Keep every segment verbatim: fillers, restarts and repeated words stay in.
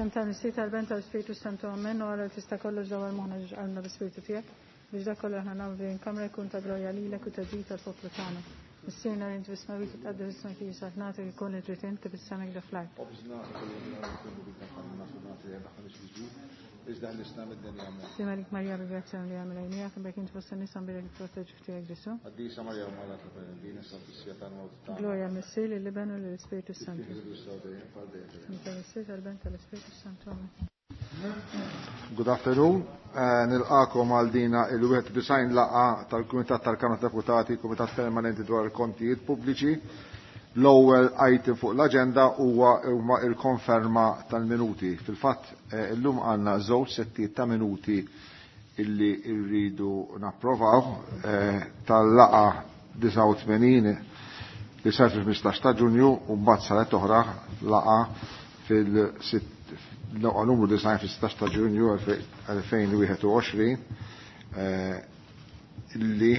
F'isem tal-Missier, tal-Iben, tal-Ispirtu Santu, amen. U Alla li tista' kollox dawwar moħħna ġiex qalbna bl-Ispirtu tiegħek, biex dak kollu aħna nagħmlu f'din il-kamra jkun ta' glorja lilek u ta' ġid tal-poplu tagħna. Missierna li inti fis-smewwiet, titqaddes ismek, tiġi saltnatek, ikun li trid int kif is-sema hekk fl-art. Sliem għalik Marija, bi grazzja li għamil għajnijak, imbierka int fost in-nisa, imbierek il-frott tal-ġuf tiegħek Ġesù. Glorja lill-Missier, lill-Iben u lill-Ispirtu Santu. Tal-Missier, tal-Iben, tal-Ispirtu Santu. Amen. Good afternoon. Eh, nilqakom għal dina il-wieħed disgħin laqgħa tal-Kumitat tal-Kamra Deputati, Kumitat Permanenti dwar il-Kontijiet Pubbliċi. L-ewwel item fuq l-aġenda huwa huma il-konferma tal-minuti. Fil-fatt eh, illum għandna żewġ settijiet ta' minuti illi rridu napprovaw eh, tal-laqgħa disgħa u tmenin li saret fil-ħmistax ta' Ġunju u mbagħad saret oħra laqgħa fil-sitt laqgħa numru disgħin fis-sittax ta' Ġunju elfejn wieħed u għoxrin illi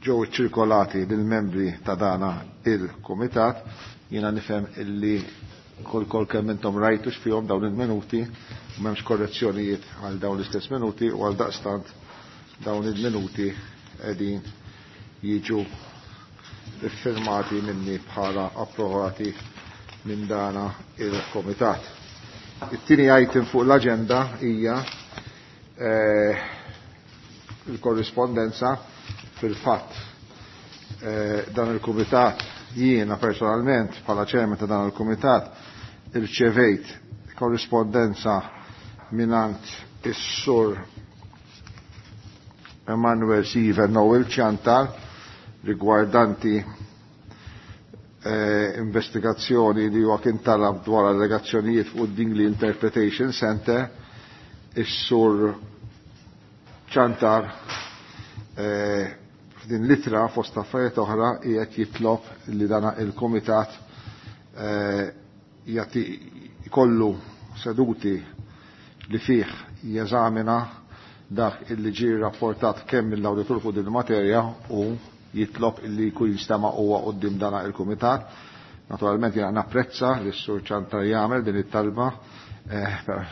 ġew iċċirkolati lill-membri ta' dana il-kumitat. Jiena nifhem illi kol kol kemm intom rajtu x'fihom dawn il-minuti, m'hemmx korrezzjonijiet għal dawn l-istess minuti u għal daqstant dawn il-minuti qegħdin jiġu iffirmati minni bħala approvati minn dana il-komitat. It-tieni item fuq l-aġenda hija, eh, il-korrispondenza. Fil-fatt, eh, dan il-kumitat, jiena personalment bħala chairman ta' dan il-kumitat, irċevejt korrispondenza minant is-sur Emmanuel Siver Noel Ciantar riguardanti, eh, investigazzjoni li huwa kien talab dwar allegazzjonijiet fuq Dingli Interpretation Center. Is-sur Ciantar, eh, f'din l-ittra fost affarijiet oħra qiegħed jitlob li dana il-kumitat, eh, jagħti jkollu seduti li fih jeżamina dak illi ġie rapportat kemm mill-awditur fuq din il-materja u jitlob illi jkun jistama' huwa quddiem dana il-kumitat. Naturalment jiena napprezza li s-sur Ciantar jagħmel din it-talba, eh, però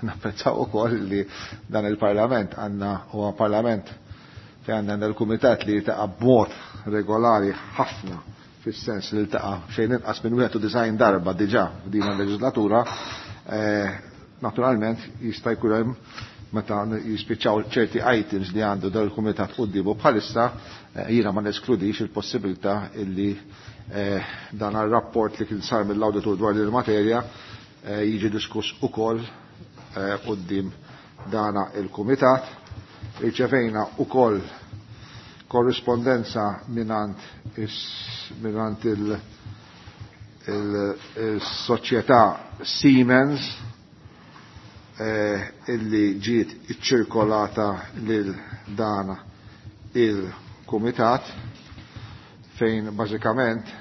napprezza wkoll li dan il-Parlament għandna huwa parlament fejn għandna l-kumitat li jiltaqa' b'mod regolari ħafna, fis-sens li ltaqa' xejn inqas minn wieħed u disgħin darba diġà f'din il-leġislatura. Eh, naturalment jista' jkun hemm meta jispiċċaw ċerti items li għandu dan il-kumitat quddiemu bħalissa, eh, jiena ma neskludix il-possibilità illi, eh, dan ir-rapport li kien sar mill-awditur dwar din il-materja, eh, jiġi diskuss ukoll, eh, quddiem dana il-kumitat. Irċevejna ukoll korrispondenza minant is-, minant il-, il-, il-soċjetà Siemens, eh, illi ġiet iċċirkolata lil dana il-kumitat, fejn bażikament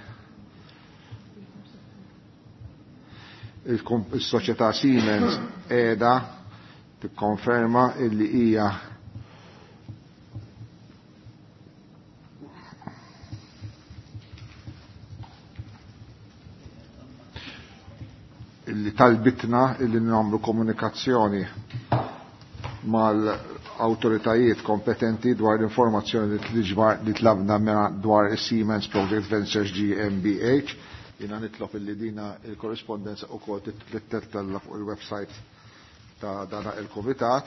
il-kom-, il-soċjetà Siemens qiegħda tikkonferma illi hija illi talbitna illi nagħmlu komunikazzjoni mal-awtoritajiet kompetenti dwar l-informazzjoni li tliġbar, li tlabna minn dwar is-Siemens Project Ventures G M B H. Jiena nitlob illi dina il-korrispondenza ukoll titla fuq il-website ta' dana il-kumitat.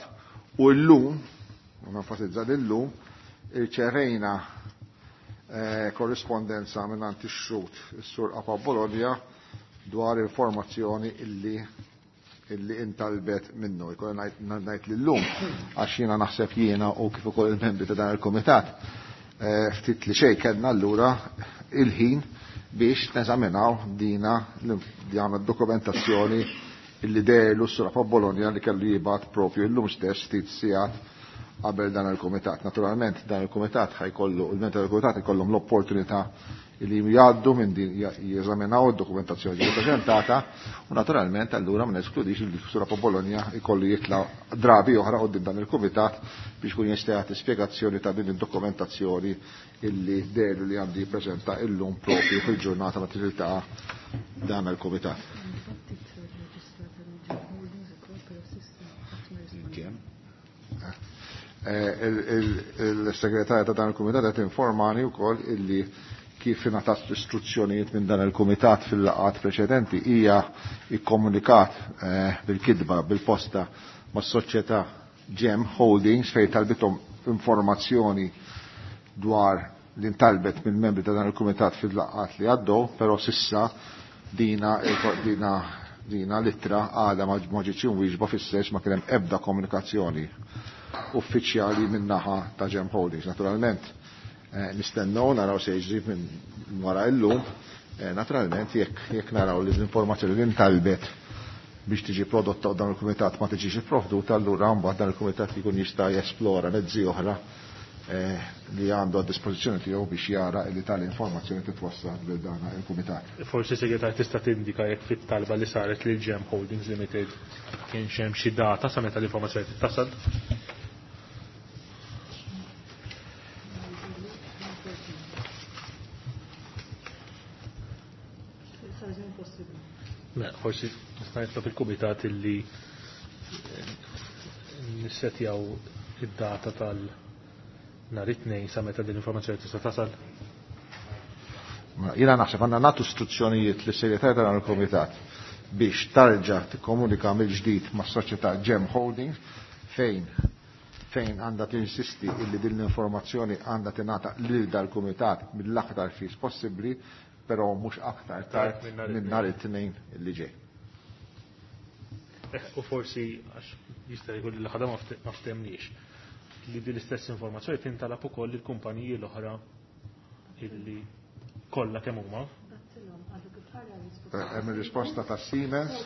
U llum, u nenfasizza l-lum, irċevejna, eh, korrispondenza minn għand ix-xhud is-Sur Apa Bologna dwar informazzjoni illi, illi intalbet minnu. Jkolli ngħid, ngħid lillum, għax jiena naħseb jiena u kif ukoll il-membri ta' dan il-kumitat, eh, ftit li xejn kellna allura il-ħin biex neżaminaw dina l-, dokumentazzjoni illi dehru s-Sur Apa Bologna li kellu jibgħat propju illum stess ftit sigħat qabel dan il-kumitat. Naturalment dan il-kumitat ħajkollu, il-membri tal-kumitat ikollhom l-opportunità li jgħaddu minn din, jeżaminaw id-dokumentazzjoni li ppreżentata u naturalment allura ma neskludix li s-Sur Apa Bologna jkollu jitla' drabi oħra quddiem dan il-kumitat biex kun jista' jagħti spjegazzjoni ta' din id-dokumentazzjoni illi dehru li għandi jippreżenta illum propju fil-ġurnata meta tiltaqa' dan il-kumitat. Il-segretarja ta' dan il-kumitat qed informani wkoll illi kif ingħatat istruzzjonijiet minn dan il-kumitat fil-laqgħat preċedenti hija ikkomunikat bil-kitba bil-posta mas-soċjetà Gem Holdings fejn talbithom informazzjoni dwar li ntalbet minn membri ta' dan il-kumitat fil-laqgħat li għaddew, però sissa dina dina dina l-ittra għadha ma ġietx imwieġba fis-sens ma kien hemm ebda komunikazzjoni uffiċjali min-naħa ta' Gem Holdings. Naturalment nistennew naraw se jiġri minn wara illum, naturalment jekk jekk naraw li l-informazzjoni li ntalbet biex tiġi prodotta dan il-kumitat ma tiġix ipprovduta, allura mbagħad dan il-kumitat jkun jista' jesplora mezzi oħra li għandu għad dispożizzjoni tiegħu biex jara li tal-informazzjoni titwassal lil dan il-kumitat. Forsi segretar tista' tindika jekk fit-talba li saret lil Gem Holdings Limited kienx hemm xi data sa meta l-informazzjoni tittasal. Mela, forsi nista' nitlob il-kumitat illi nissetjaw id-data tal nhar it-tnejn sa meta din l-informazzjoni tista' tasal. Jiena naħseb għandna nagħtu istruzzjonijiet lis segretarju ta' dan il-kumitat biex tarġa' tikkomunika mill-ġdid mas-soċjetà Gem Holdings fejn fejn għandha tinsisti illi din l-informazzjoni għandha tingħata lil dal-kumitat mill-aktar fis possibbli, però mhux aktar tard minn nhar it-tnejn li ġej. U forsi għax jista' jkun li l-ħadha ma ftemniex li din l-istess informazzjoni tintalab ukoll il-kumpaniji l-oħra illi kollha kemm huma. Hemm ir-risposta ta' Siemens.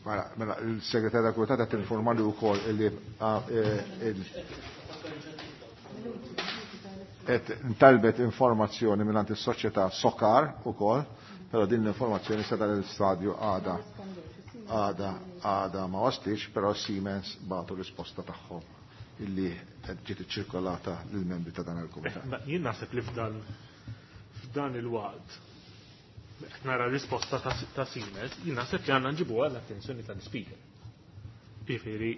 Mela, mela il-segretarja tal-kumitat qed tinformali wkoll illi qed ntalbet informazzjoni mingħand is-soċjetà Sokar ukoll, però din l-informazzjoni sa dan il-stadju għada għada għada ma waslitx, però Siemens bagħtu risposta tagħhom illi ġiet iċċirkolata lill-membri ta' dan il-kumitat. Jien naħseb li f'dan f'dan il-waqt qed nara risposta ta' Siemens, jien naħseb li għandna nġibuha l-attenzjoni tal-speaker. Jiġifieri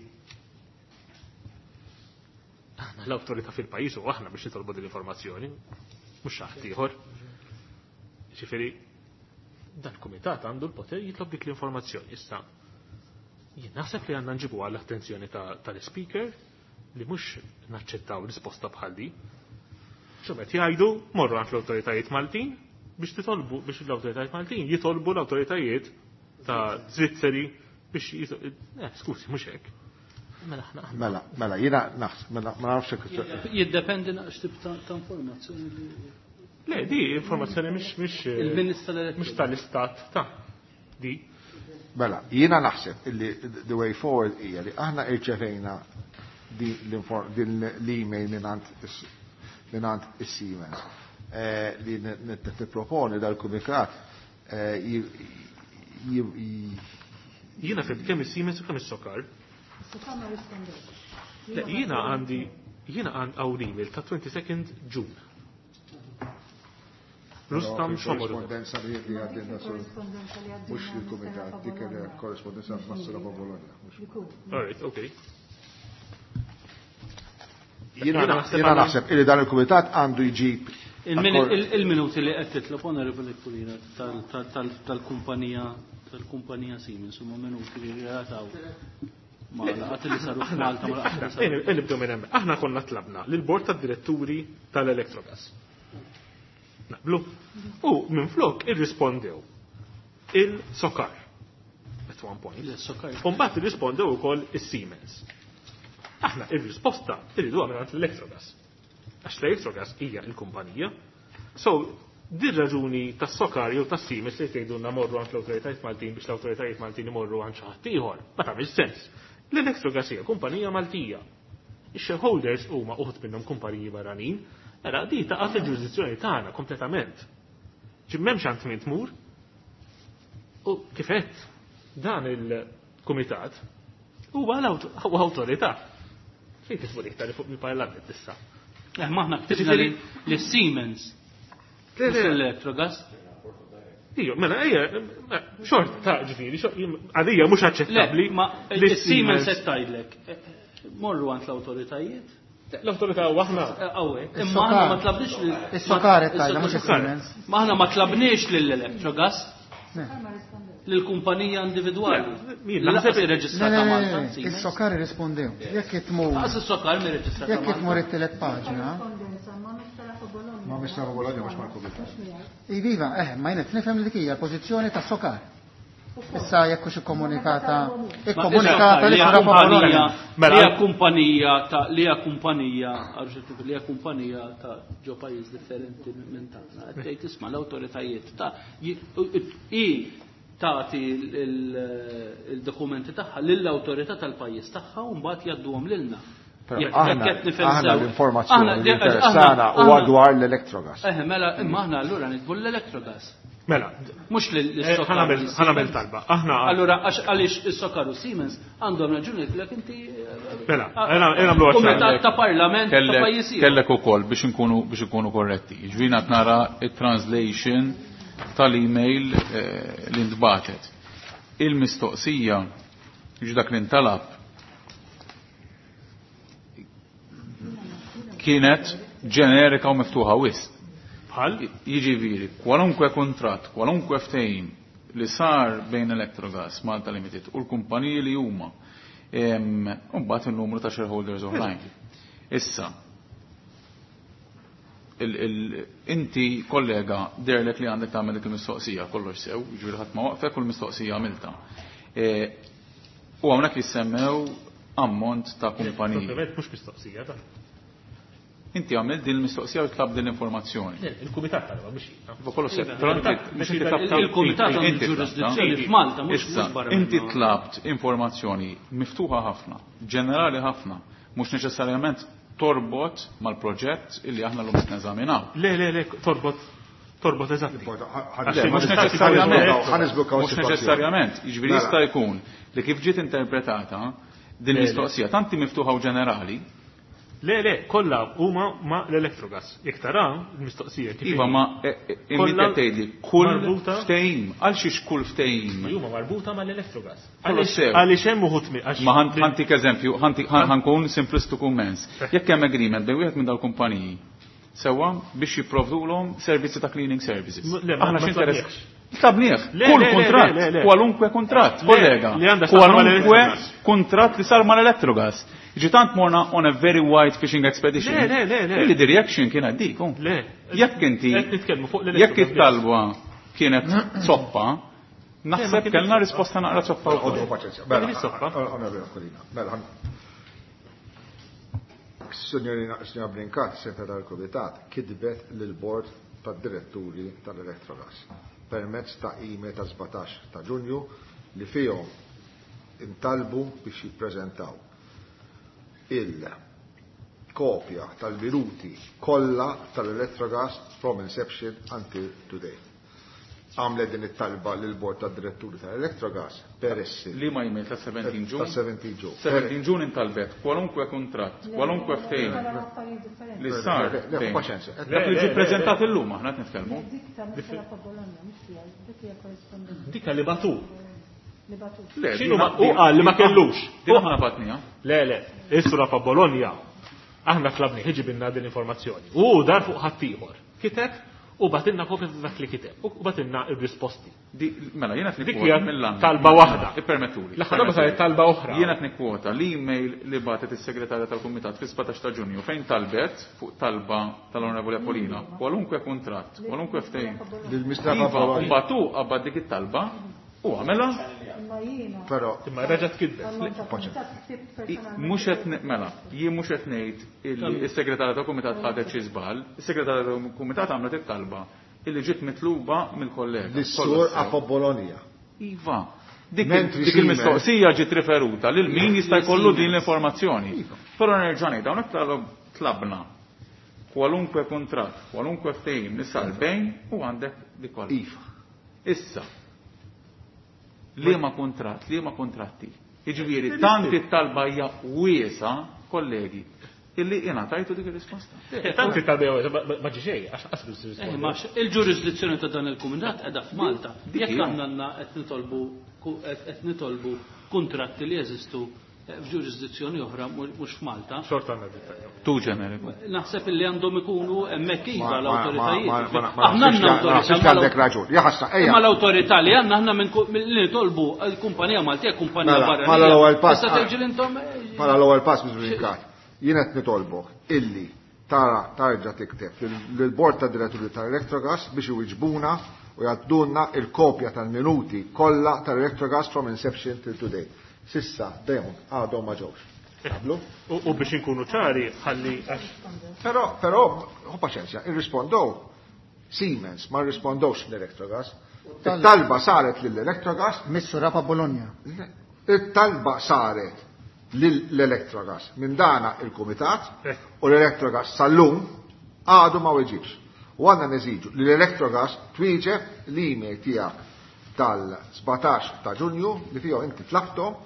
aħna l-awtorità fil-pajjiż u aħna biex nitolbu din l-informazzjoni, mhux xi ħadd ieħor. Jiġifieri dan il-kumitat għandu l-poter jitlob dik l-informazzjoni. Issa, jien naħseb li għandna nġibu għall-attenzjoni tal-speaker li mhux naċċettaw risposta bħal di. X'qed jgħidu morru għand l-awtoritajiet Maltin biex titolbu biex l-awtoritajiet Maltin jitolbu l-awtoritajiet ta' Svizzeri biex eh, skużi mhux hekk. Mela aħna Mela, mela jiena naħseb mela ma nafx hekk. Jiddependi naqx tip ta' informazzjoni li Le, di informazzjoni mhix mhix mhux tal-istat ta' di. Mela, jiena naħseb illi the way forward hija li aħna irċevejna din l-email mingħand is-Siemens li nipproponi dal-kumitat Jiena fim kemm is-Siemens u kemm is-Sokar. Le, jiena għandi jiena għand hawn email ta' twenty-second June. Rustam Xomor. Korrespondenza li għaddinna sur mhux il-kumitat, dik il-korrespondenza mas-Sura Bologna. All right, okay. Jiena naħseb illi dan il-kumitat għandu jġib il-minuti li qed titlob Onorevoli Pulina tal-kumpanija tal-kumpanija Siemens huma minuti li relataw ma' laqgħat li saru f'Malta ma' laqgħat li saru. Nibdew minn hemm. Aħna konna tlabna lill-bord tad-diretturi tal-Electrogas. Naqblu. U minn flok irrispondew il-Sokar at one point. U mbagħad irrispondew ukoll is-Siemens. Aħna ir-risposta irriduha mingħand l-Electrogas. Għax l-Electrogas hija l-kumpanija. So, din raġuni tas-Sokar jew tas-Siemens li tgħidulna morru għand l-awtoritajiet Maltin biex l-awtoritajiet Maltin imorru għand xi ħadd ieħor, ma tagħmilx sens. L-Electrogas hija kumpanija Maltija. Ix-shareholders huma uħud minnhom kumpaniji barranin. Mela, di taqa' fil-ġurisdizzjoni tagħna kompletament. Ġi m'hemmx għand min tmur. U kif qed dan il-kumitat huwa huwa awtorità. Fejn tisbu iktar fuq il-Parlament issa. Eh, ma aħna ktibna li Siemens. L-Electrogas. Ijjo, mela, ejja, xorta ta' ġifieri, għalija mhux aċċettabbli. Ma Siemens qed tgħidlek. Morru għand l-awtoritajiet. L-awtorità u aħna. Hawnhekk. Imma aħna ma tlabniex lil Is-Sokar qed tgħidha mhux is-Siemens. Ma aħna ma tlabniex lill-Electrogas. Lill-kumpanija individwali. Naħseb irreġistrata Malta. Is-Sokar irrispondew. Jekk tmur. Lanqas is-Sokar mirreġistrata. Jekk tmur it-tielet paġna. Ma Mister Bologna mhux mal-kumitat. Iva, eh, ma jien qed nifhem li dik hija l-pożizzjoni tas-Sokar. Issa jekk hux ikkomunikata ikkomunikata li kumpanija li hija kumpanija ta' li hija kumpanija li hija kumpanija ta' ġo pajjiż differenti minn tagħna. Qed tgħid isma' l-awtoritajiet ta' i tagħti il-dokumenti tagħha lill-awtorità tal-pajjiż tagħha u mbagħad jgħadduhom lilna. Aħna l-informazzjoni li interessana huwa dwar l-Electrogas. Eh, mela imma aħna allura nitbu l-Electrogas. Mela, mhux l-Sokar. Ħa nagħmel talba. Aħna allura għaliex is-Sokar u Siemens għandhom raġuni lek inti. Mela, nagħmlu Kumitat ta' Parlament ta' pajjiż ieħor. Kellek ukoll biex inkunu biex ikunu korretti. Jiġifieri qed nara it-translation tal-email li ntbatet. Il-mistoqsija biex dak li ntalab kienet ġenerika u miftuħa wisq. Jiġifieri, kwalunkwe kuntratt, kwalunkwe ftehim li sar bejn Electrogas, Malta Limited u l-kumpaniji li huma, u mbagħad in-numru ta' shareholders oħrajn. Issa, inti kollega derlek li għandek tagħmel dik il-mistoqsija kollox sew, jiġifieri ħadd ma waqfek u l-mistoqsija għamilta. U hawnhekk jissemmew ammont ta' kumpaniji. Mhux mistoqsija ta'. Inti għamilt din il-mistoqsija u tlab din l-informazzjoni. Il-kumitat talba mhux jiena. Il-kumitat għandu ġurisdizzjoni f'Malta mhux barra. Inti tlabt informazzjoni miftuħa ħafna, ġenerali ħafna, mhux neċessarjament torbot mal-proġett illi aħna llum qed neżaminaw. Le, le, le, torbot torbot eżatti. Mhux neċessarjament. Mhux neċessarjament. Jiġifieri jista' jkun li kif ġiet interpretata din il-mistoqsija tanti miftuħa u ġenerali. Le, le, kollha huma ma l-Electrogas. Jekk tara l-mistoqsija kif. Iva, ma inti tgħidli kull ftehim, għal xiex kull ftehim. Huma marbuta mal-Electrogas. Għaliex hemm uħud Ma ħantik eżempju, ħankun simplistiku immens. Jekk hemm agreement bejn wieħed minn dal-kumpaniji sewwa biex jipprovdulhom servizzi ta' cleaning services. Aħna x'interess. Tlabnieh, kull kuntratt, kwalunkwe kuntratt, kollega. Kwalunkwe kuntratt li sar mal-Electrogas. Ġi tant morna on a very wide fishing expedition. Le, le, le, le. Illi the reaction kienet dik. Le. Jekk inti, jekk it-talba kienet zoppa, naħseb kellna risposta naqra zoppa wkoll. Mela, Signorina Signora Brincat, segretarju tal-Kumitat, kitbet lill-Bord tad-Diretturi tal-Electrogas permezz ta' email ta' sbatax ta' Ġunju li fihom intalbu biex jippreżentaw il-kopja tal-minuti kollha tal-Electrogas from inception until today. Għamlet din it-talba lill-Bord tad-Diretturi tal-Electrogas peress li ma email ta' seventeen Ġun. Ta' seventeen Ġun. seventeen Ġun intalbet kwalunkwe kuntratt, kwalunkwe ftehim li sar. Dak li ġie ppreżentat illum aħna qed nitkellmu. Dikka li batu. X'inhu u qal li ma kellux. Din aħna batniha. Le, le, is-sura fa' Bologna. Aħna tlabni ħiġibinna din l-informazzjoni. U dar fuq ħaddieħor. Kiteb u batinna kopja ta' dak li kiteb u batinna ir-risposti. Mela, jiena qed nikkwota mill-għan. Talba waħda. Ippermettuli. L-aħħar darba saret talba oħra. Jiena qed nikkwota l-email li bagħtet is-segretarja tal-Kumitat fis-sbatax ta' Ġunju fejn talbet fuq talba tal-Onorevoli Apolina kwalunkwe kuntratt, kwalunkwe ftehim. Iva, u mbagħad hu qabad dik it-talba u għamela. Però imma reġgħet kitbet. Mhux qed mela, jien mhux qed ngħid illi s-segretarja tal-Kumitat ħadet xi żball, is-segretarja tal-Kumitat għamlet it-talba illi ġiet mitluba mill-kollega. Lis-sur Apo Bologna. Iva. Dik il-mistoqsija ġiet riferuta lil min jista' jkollu din l-informazzjoni. Però nerġa' ngħid hawnhekk tlabna kwalunkwe kuntratt, kwalunkwe ftehim li sar bejn u għandek dik kollha. Iva. Issa, liema kuntratt, liema kuntratti. Jiġifieri tant it-talba hija wiesa, kollegi, illi ingħatajtu dik ir-risposta. Tant it-talba hija wiesa, ma ġi xejn, għax qas biss risposta. Il-ġurisdizzjoni ta' dan il-kumitat qiegħda f'Malta. Jekk aħna għandna qed nitolbu qed nitolbu kuntratti li jeżistu f'ġurisdizzjoni oħra mhux f'Malta. Xorta għandna dritt. Tu ġeneriku. Naħseb illi għandhom ikunu hemmhekk iva l-awtoritajiet. Aħna għandna awtorità. Għandek raġun. Jaħasra, ejja. Imma l-awtorità li għandna aħna li nitolbu l-kumpanija Maltija, kumpanija barra. Mela l-ewwel pass. Issa terġi intom. Mela l-ewwel pass Miss Brincat. Jien qed nitolbok illi tara tarġa' tikteb lill-Bord ta' Diretturi tal-Electrogas biex iwiġbuna u jgħaddulna il-kopja tal-minuti kollha tal-Electrogas from inception till today. Sissa dejjem għadhom ma ġewx. Qablu? U biex inkunu ċari ħalli għax. Però, però, hu paċenzja, irrispondow Siemens, ma rrispondowx l-Electrogas. It-talba saret lill-Electrogas. Missu Rapa Bologna. It-talba saret lill-Electrogas. Minn dana il-Kumitat u l-Electrogas sal-lum għadu ma weġibx. U għandna neżiġu li l-Electrogas twieġeb l-email tiegħek tal-sbatax ta' Ġunju li fihom inti tlabtom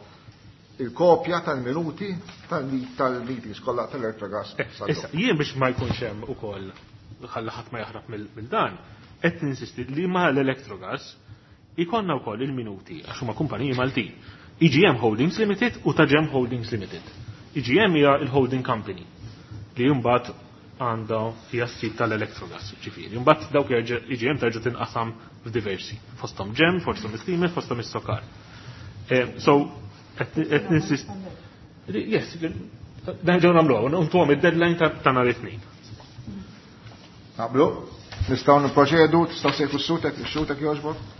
il-kopja tal-minuti tal-meetings kollha tal-Electrogas. Issa, jien biex ma jkunx hemm ukoll ħalla ħadd ma jaħrab mill dan, qed ninsisti li ma l-Electrogas ikonna wkoll il-minuti għax huma kumpaniji Maltin. E G M Holdings Limited u ta' Gem Holdings Limited. E G M hija il-holding company li mbagħad għandha hija s-sid tal-Electrogas, ġifieri. Mbagħad dawk jerġa' E G M terġa' tinqasam f'diversi, fosthom Gem, fosthom is-Siemens, fosthom is-Sokar. So qed ninsist. Yes, nerġgħu nagħmluha, ntuhom id-deadline ta' nhar it-tnejn. Naqblu? Nistgħu nipproċedu, tistgħu sejfu s-sutek, is-sutek jogħġbok?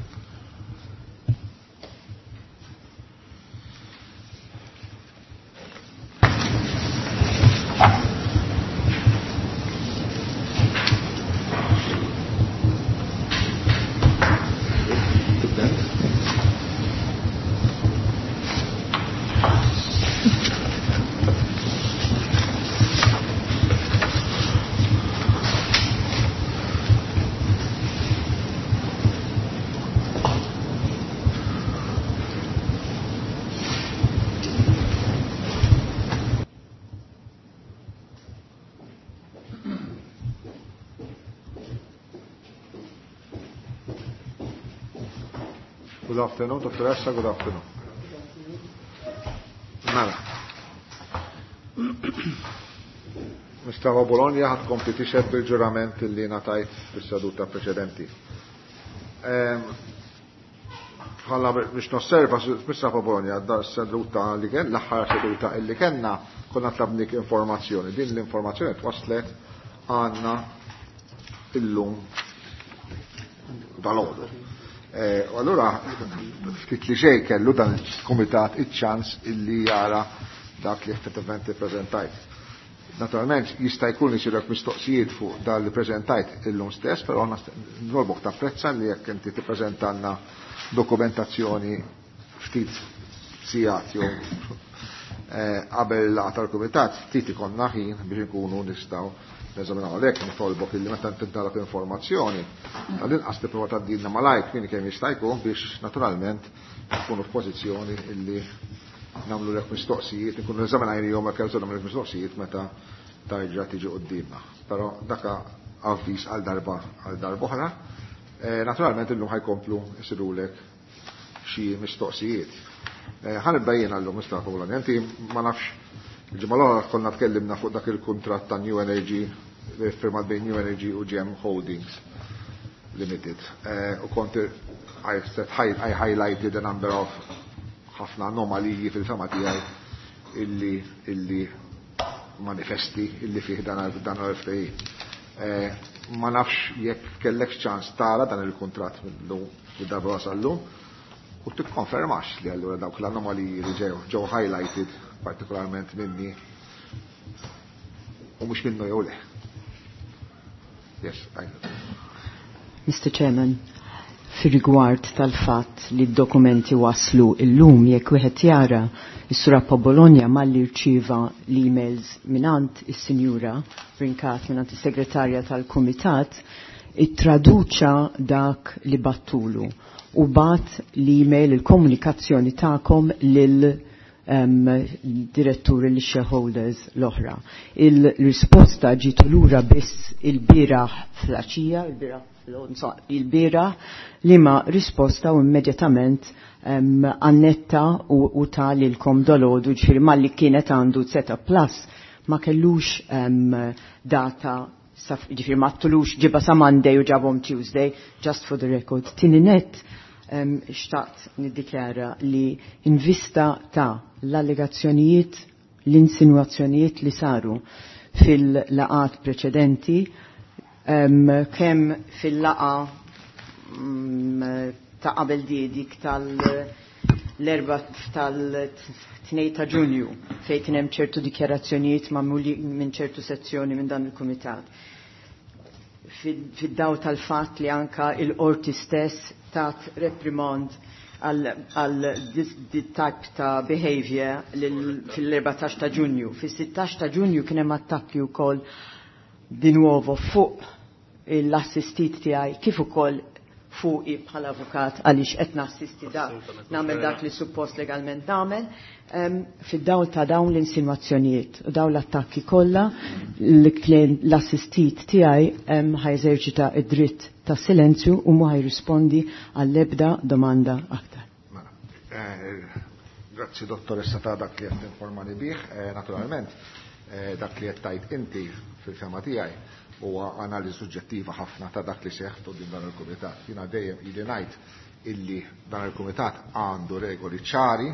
Good afternoon, dottoressa, good afternoon. Mela. Mistava Bologna ħad kompli tixed bil-ġurament li natajt fis-seduta preċedenti. Bħala biex nosserva, Mistava Bologna, da seduta li kien, l-aħħar seduta illi kellna, konna tlabnik informazzjoni. Din l-informazzjoni twaslet għandna illum dal-għodu. U allura ftit li xejn kellu dan il-kumitat iċ-ċans illi jara dak li effettivament ippreżentajt. Naturalment jista' jkun li jsirek mistoqsijiet fuq dan li preżentajt illum stess, però nolbok tapprezza li jekk inti tippreżentanna dokumentazzjoni ftit sigħat jew qabel il-laqgħa tal-kumitat, ftit ikollna ħin biex inkunu nistgħu neżaminaw. Għalhekk nitolbok illi meta tintalab informazzjoni, tal-inqas tipprova tgħaddilna malajr kmin kemm jista' jkun biex naturalment nkunu f'pożizzjoni illi nagħmlu lek mistoqsijiet, nkunu eżaminajnihom jekk hemm nagħmlu mistoqsijiet meta tarġa' tiġi quddiemna. Però daka avviż għal darba għal darba oħra. Naturalment illum ħajkomplu jsirulek xi mistoqsijiet. Ħanibda jiena llum Mustafa Bologna, inti ma nafx il-ġimgħa l-oħra konna tkellimna fuq dak il-kuntratt ta' New Energy li firmat bejn New Energy u Gem Holdings Limited. U kont I said I highlighted a number of ħafna anomaliji fil-fema tiegħi illi illi manifesti illi fih dan dan l-ftehim. Ma nafx jekk kellek ċans tara dan il-kuntratt mill-lum darba wasallum u tikkonfermax li allura dawk l-anomaliji li ġew ġew highlighted partikolarment minni u mhux minnu jew le. Yes, I know. Mister Chairman, fir-rigward tal-fatt li d-dokumenti waslu illum jekk wieħed jara is-Sur Bologna malli rċieva l-emails minant is-Sinjura Brincat minant is-Segretarja tal-Kumitat, ittraduċa dak li battulu u bat l-email il-komunikazzjoni tagħkom lil um, diretturi li shareholders l-oħra. Il-risposta ġiet lura biss il-bieraħ flaċija, il-bieraħ il-bira li ma risposta u immedjatament annetta u, u ta' lilkom dolodu ġifieri malli kienet għandu Zeta Plus ma kellux um, data ġifieri ma ttulux ġiba sa Monday u ġabhom Tuesday, just for the record. Tieni net um, xtaqt niddikjara li in vista ta' l-allegazzjonijiet, l-insinuazzjonijiet li saru fil-laqat preċedenti, um, kemm fil-laqa um, ta' qabel di dik tal-erba tal-tnejn ta' Ġunju fejn kien hemm ċertu dikjarazzjonijiet magħmuli minn ċertu sezzjoni minn dan il-kumitat. Fid-daw tal-fatt li anka il-qorti stess tat reprimand għal this type ta' behavior fil-erbatax ta' Ġunju. Fis-sittax ta' Ġunju kien hemm attakki wkoll di nuovo fuq l-assistit tiegħi kif ukoll fuqi bħala avukat għaliex qed nassisti dak, nagħmel dak li suppost legalment nagħmel. Um, fid-dawl ta' dawn l-insinuazzjonijiet u dawn l-attakki kollha l-assistit tiegħi um, ħajżerċita id-dritt ta' silenzju u mhu ħajrispondi għall-ebda domanda aktar. Mela, eh, grazzi dottoressa ta' dak li qed informani bih, eh, naturalment eh, dak li qed tajt inti fil-fema tiegħi huwa analiżi suġġettiva ħafna ta' dak li seħħ quddiem dan il-kumitat. Jiena dejjem ili ngħid illi dan il-kumitat għandu regoli ċari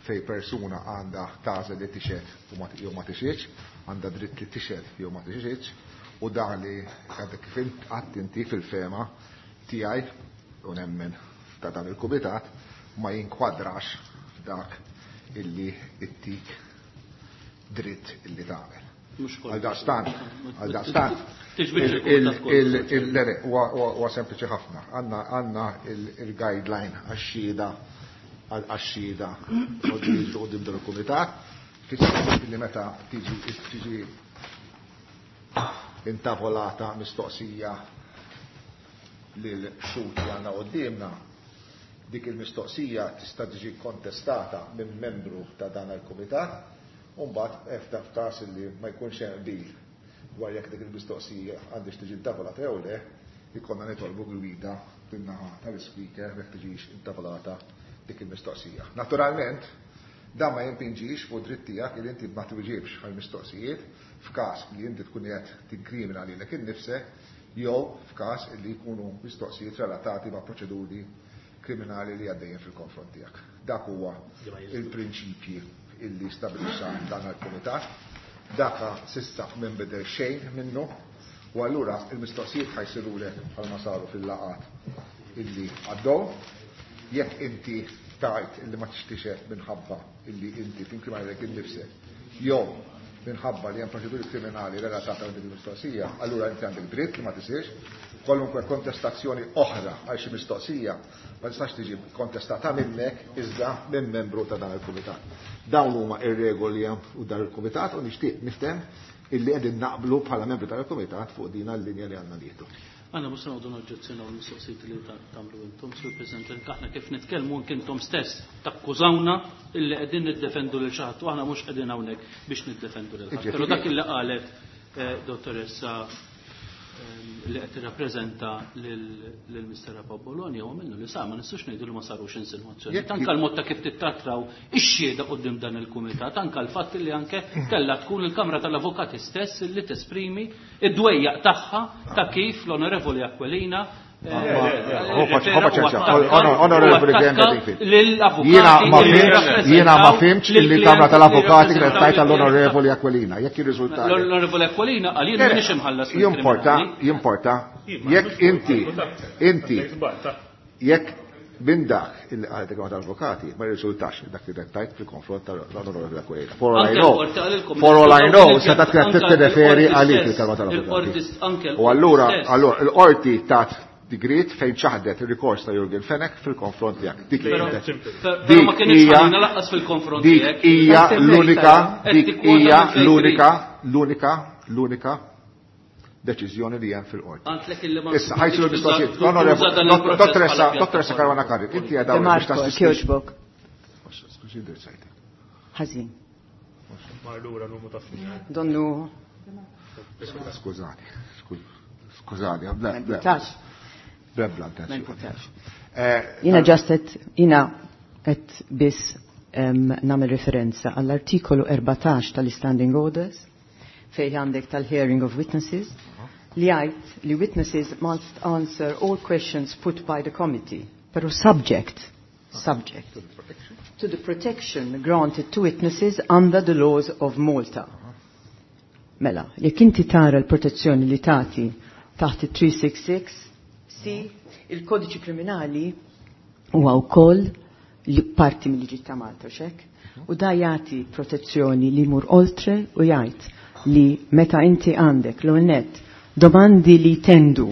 fej persuna għandha tagħżel li tixhed jew ma tixhedx, għandha dritt li tixhed jew ma tixhedx, u dan li għadek kif qatt inti fil-fema tiegħi u nemmen ta' dan il-kumitat ma jinkwadrax f'dak illi ittik dritt illi tagħmel. Għal daqstant, għal daqstant, il-lere, huwa sempliċi ħafna. Għandna il-guideline għax-xhieda għax-xhieda quddiem dan il-kumitat, li meta tiġi intavolata mistoqsija lil xhud li għandna quddiemna, dik il-mistoqsija tista' tiġi kontestata minn membru ta' dan il-kumitat. Umbagħad efta f'każ li ma jkunx hemm qbil dwar jekk dik il-mistoqsija għandix tiġi intavolata jew le, ikollna nitolbu gwida min-naħa tal-ispeaker jekk tiġix intavolata dik il-mistoqsija. Naturalment, dan ma jimpinġix fuq dritt tiegħek li inti ma twieġibx għall-mistoqsijiet f'każ li inti tkun qed tinkrimina lilek innifsek jew f'każ li jkunu mistoqsijiet relatati ma' proċeduri kriminali li għaddejjin fil-konfront tiegħek. Dak huwa il-prinċipji illi stabilixxa dan il-kumitat. Daka sissa minn bidel xejn minnu, u allura il-mistoqsijiet ħajsirulek bħalma saru fil-laqat illi għaddew. Jekk inti tajt illi ma tixtiex minħabba illi inti tinkriminalek innifsek jew minħabba li hemm proċeduri kriminali relatata ma' din il-mistoqsija, allura inti għandek dritt li ma tisirx. Kwalunkwe kontestazzjoni oħra għal xi mistoqsija ma tistax tiġi kontestata minnek iżda minn membru ta' dan il-kumitat. Dawn huma ir-regoli hemm u dan il-kumitat u nixtieq nifhem illi qegħdin naqblu bħala membri tal-kumitat fuq din l-linja li għandna nieħdu. Għanna mhux se noqogħdu noġġezzjonaw l-mistoqsijiet li tagħmlu intom, Sur President, aħna kif nitkellmu anke intom stess takkużawna illi qegħdin niddefendu lil xi ħadd u aħna mhux qegħdin hawnhekk biex niddefendu lil ħadd. Però dak illi qalet dottoressa li qed tirrappreżenta lil Mister Bologna huwa minnu li sa ma nistgħux ngħidu li ma sarux insinuazzjoni. Anke l-mod ta' kif tittrattaw ix-xhieda quddiem dan il-kumitat, anke l-fatt li anke kellha tkun il-Kamra tal-Avukati stess li tesprimi id-dwejjaq tagħha ta' kif l-Onorevoli Aquilina Onorevoli Jiena ma fimx li l-Kamra tal-Avukati kienet tajt għall-Onorevoli Aquilina. Jekk jirriżulta. L-Onorevoli Aquilina qal jien m'iniex imħallas. Jimporta, jimporta. Jekk inti, inti, jekk minn dak illi qalet il-Kamra tal-Avukati ma jirriżultax dak li tajt fil-konfront tal-Onorevoli Aquilina. For all I know, for all I know, seta' kienet tirreferi għalik il-Kamra tal-Avukati. U allura, allura, il-qorti tat digrit fejn ċaħdet il-rikors ta' Jurgen Fenech fil-konfront tiegħek. Dik hija dik hija l-unika dik hija l-unika l-unika l-unika deċiżjoni li hemm fil-qorti. Issa ħajsiru l-mistoqsijiet. Dottoressa, dottoressa Caruana Curran, inti qiegħda biex tassisti. Skużi, indirizzajtek. Ħażin. Marlura numru ta' Donnu. Skużani, skużani, bla. Bl-ebda intenzjoni. Jiena just qed jiena qed biss nagħmel referenza għall-artikolu erbatax tal-Standing Orders fejn għandek tal-hearing of witnesses li jgħid li witnesses must answer all questions put by the committee, pero subject, subject to the protection granted to witnesses under the laws of Malta. Mela, jekk inti tara l-protezzjoni li tagħti taħt it-three six six C, il-kodiċi kriminali huwa wkoll li parti mill-liġi ta' Malta, xek? U da jagħti protezzjoni li jmur oltre u jgħid li meta inti għandek l net domandi li tendu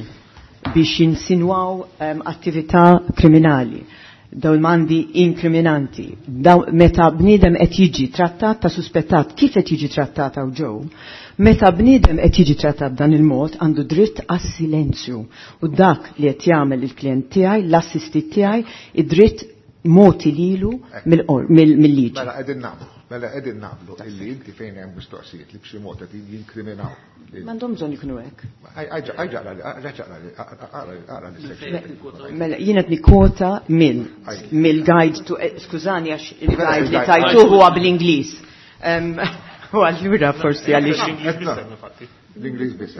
biex jinsinwaw um, attività kriminali, domandi inkriminanti, daw, meta bniedem qed jiġi trattat ta' suspettat, kif qed jiġi trattat hawn ġew, meta bniedem qed jiġi trattat b'dan il-mod għandu dritt għas-silenzju. U dak li qed jagħmel il-klient tiegħi, l-assistit tiegħi, id-dritt moti lilu mill-liġi. Mela qegħdin naqblu, mela qegħdin naqblu illi inti fejn hemm mistoqsijiet li b'xi mod qed jinkriminaw. M'għandhom bżonn ikunu hekk. Mela jien qed nikkwota mill-guide to, skużani għax il-guide li tajtuh huwa bl-Ingliż. U allura forsi għaliex. L-Ingliż biss.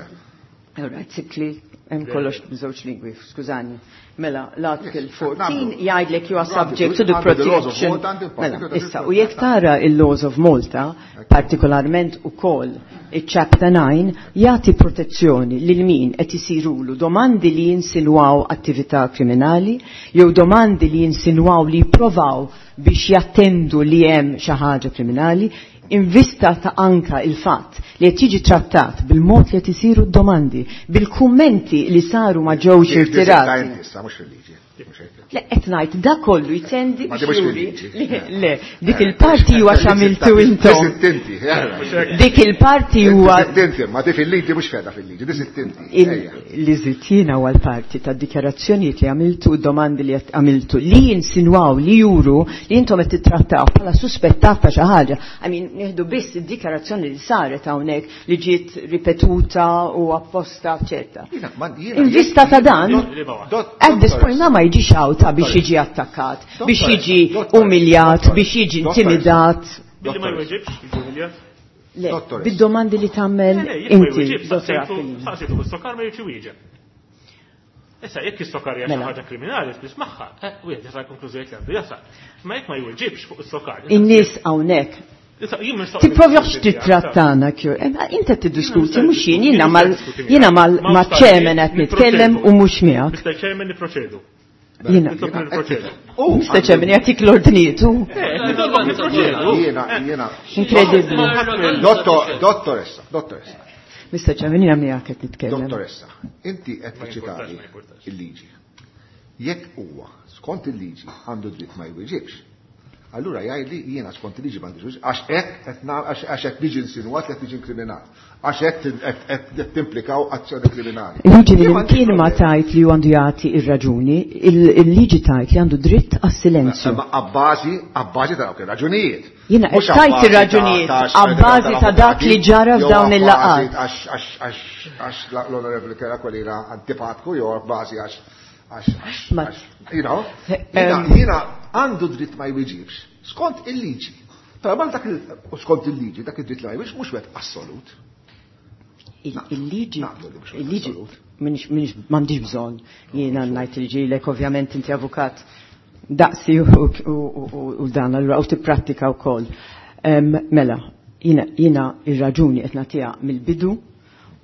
All right, sikli, hemm kollox b'żewġ lingwi, skużani. Mela, l-article fourteen jgħidlek you are subject to the protection. Mela, issa, u jekk tara il-laws of Malta, partikolarment ukoll il-chapter nine, jagħti protezzjoni lil min qed isirulu domandi li jinsinwaw attività kriminali, jew domandi li jinsinwaw li jipprovaw biex jattendu li hemm xi ħaġa kriminali, in vista ta' anka il-fatt li qed jiġi trattat bil-mod li qed isiru d-domandi, bil-kummenti li saru ma ġewx irtirati. Le, qed ngħid da kollu jtendi biex juri le, dik il-parti huwa x'għamiltu intom. Dik il-parti huwa. Ma di fil-liġi mhux feda fil-liġi, di sittinti. Li żittina huwa l-parti tad-dikjarazzjonijiet li għamiltu, domandi li għamiltu, li jinsinwaw, li juru li intom qed titrattaw bħala suspettat ta' xi ħaġa. I mean, nieħdu biss id-dikjarazzjoni li saret hawnhekk li ġiet ripetuta u apposta, eċetera. In vista ta' dan, at this point ma jiġix hawn biex jiġi attakkat, biex jiġi umiljat, biex jiġi intimidat. Billi ma jweġibx, jiġi umiljat? Le, bid-domandi li tagħmel inti. Saqsitu bis-sokar ma jiġi wieġeb. Issa jekk is-sokar hija xi ħaġa kriminali spiss magħha, wieħed jasal konklużjoni li għandu jasal. Ma jekk ma jweġibx fuq is-sokar. In-nies hawnhekk Tipprovjax titrattana kju. Inti tiddiskuti mhux jien, jiena mal jiena mal chairman qed nitkellem u mhux miegħek. Mister Chairman nipproċedu. Jiena. Mister Chairman jagħtik l-ordnijiet. Jiena, jiena. Inkredibbli. Dottoressa, dottoressa. Mister Chairman jiena miegħek qed nitkellem. Dottoressa, inti qed tiċċitali il-liġi. Jekk huwa skont il-liġi għandu dritt ma jwieġibx, allura jgħidli jiena skont il-liġi m'għandix għax hekk għax hekk niġi insinwat li qed niġi inkriminat, għax hekk qed timplikaw azzjoni kriminali. Il-liġi li kien ma tajt li għandu jagħti ir-raġuni, il-liġi tajt li għandu dritt għas-silenzju. Ma abbażi, abbażi ta' dawk ir-raġunijiet. Jiena qed tajt ir-raġunijiet abbażi ta' dak li ġara f'dawn il-laqgħat. Għax għax l-Onorevoli Aquilina antipatku jew abbażi għax għax you know, jiena għandu dritt ma jwieġibx skont il-liġi. Però ma dak skont il-liġi, dak id-dritt li ma jwieġibx mhux wieħed assolut. Il-liġi, il-liġi, minix m'għandix bżonn jiena ngħid il-ġilek, ovvjament inti avukat daqsi u dan allura u tipprattika wkoll. Mela, jiena ir-raġuni qed nagħtiha mill-bidu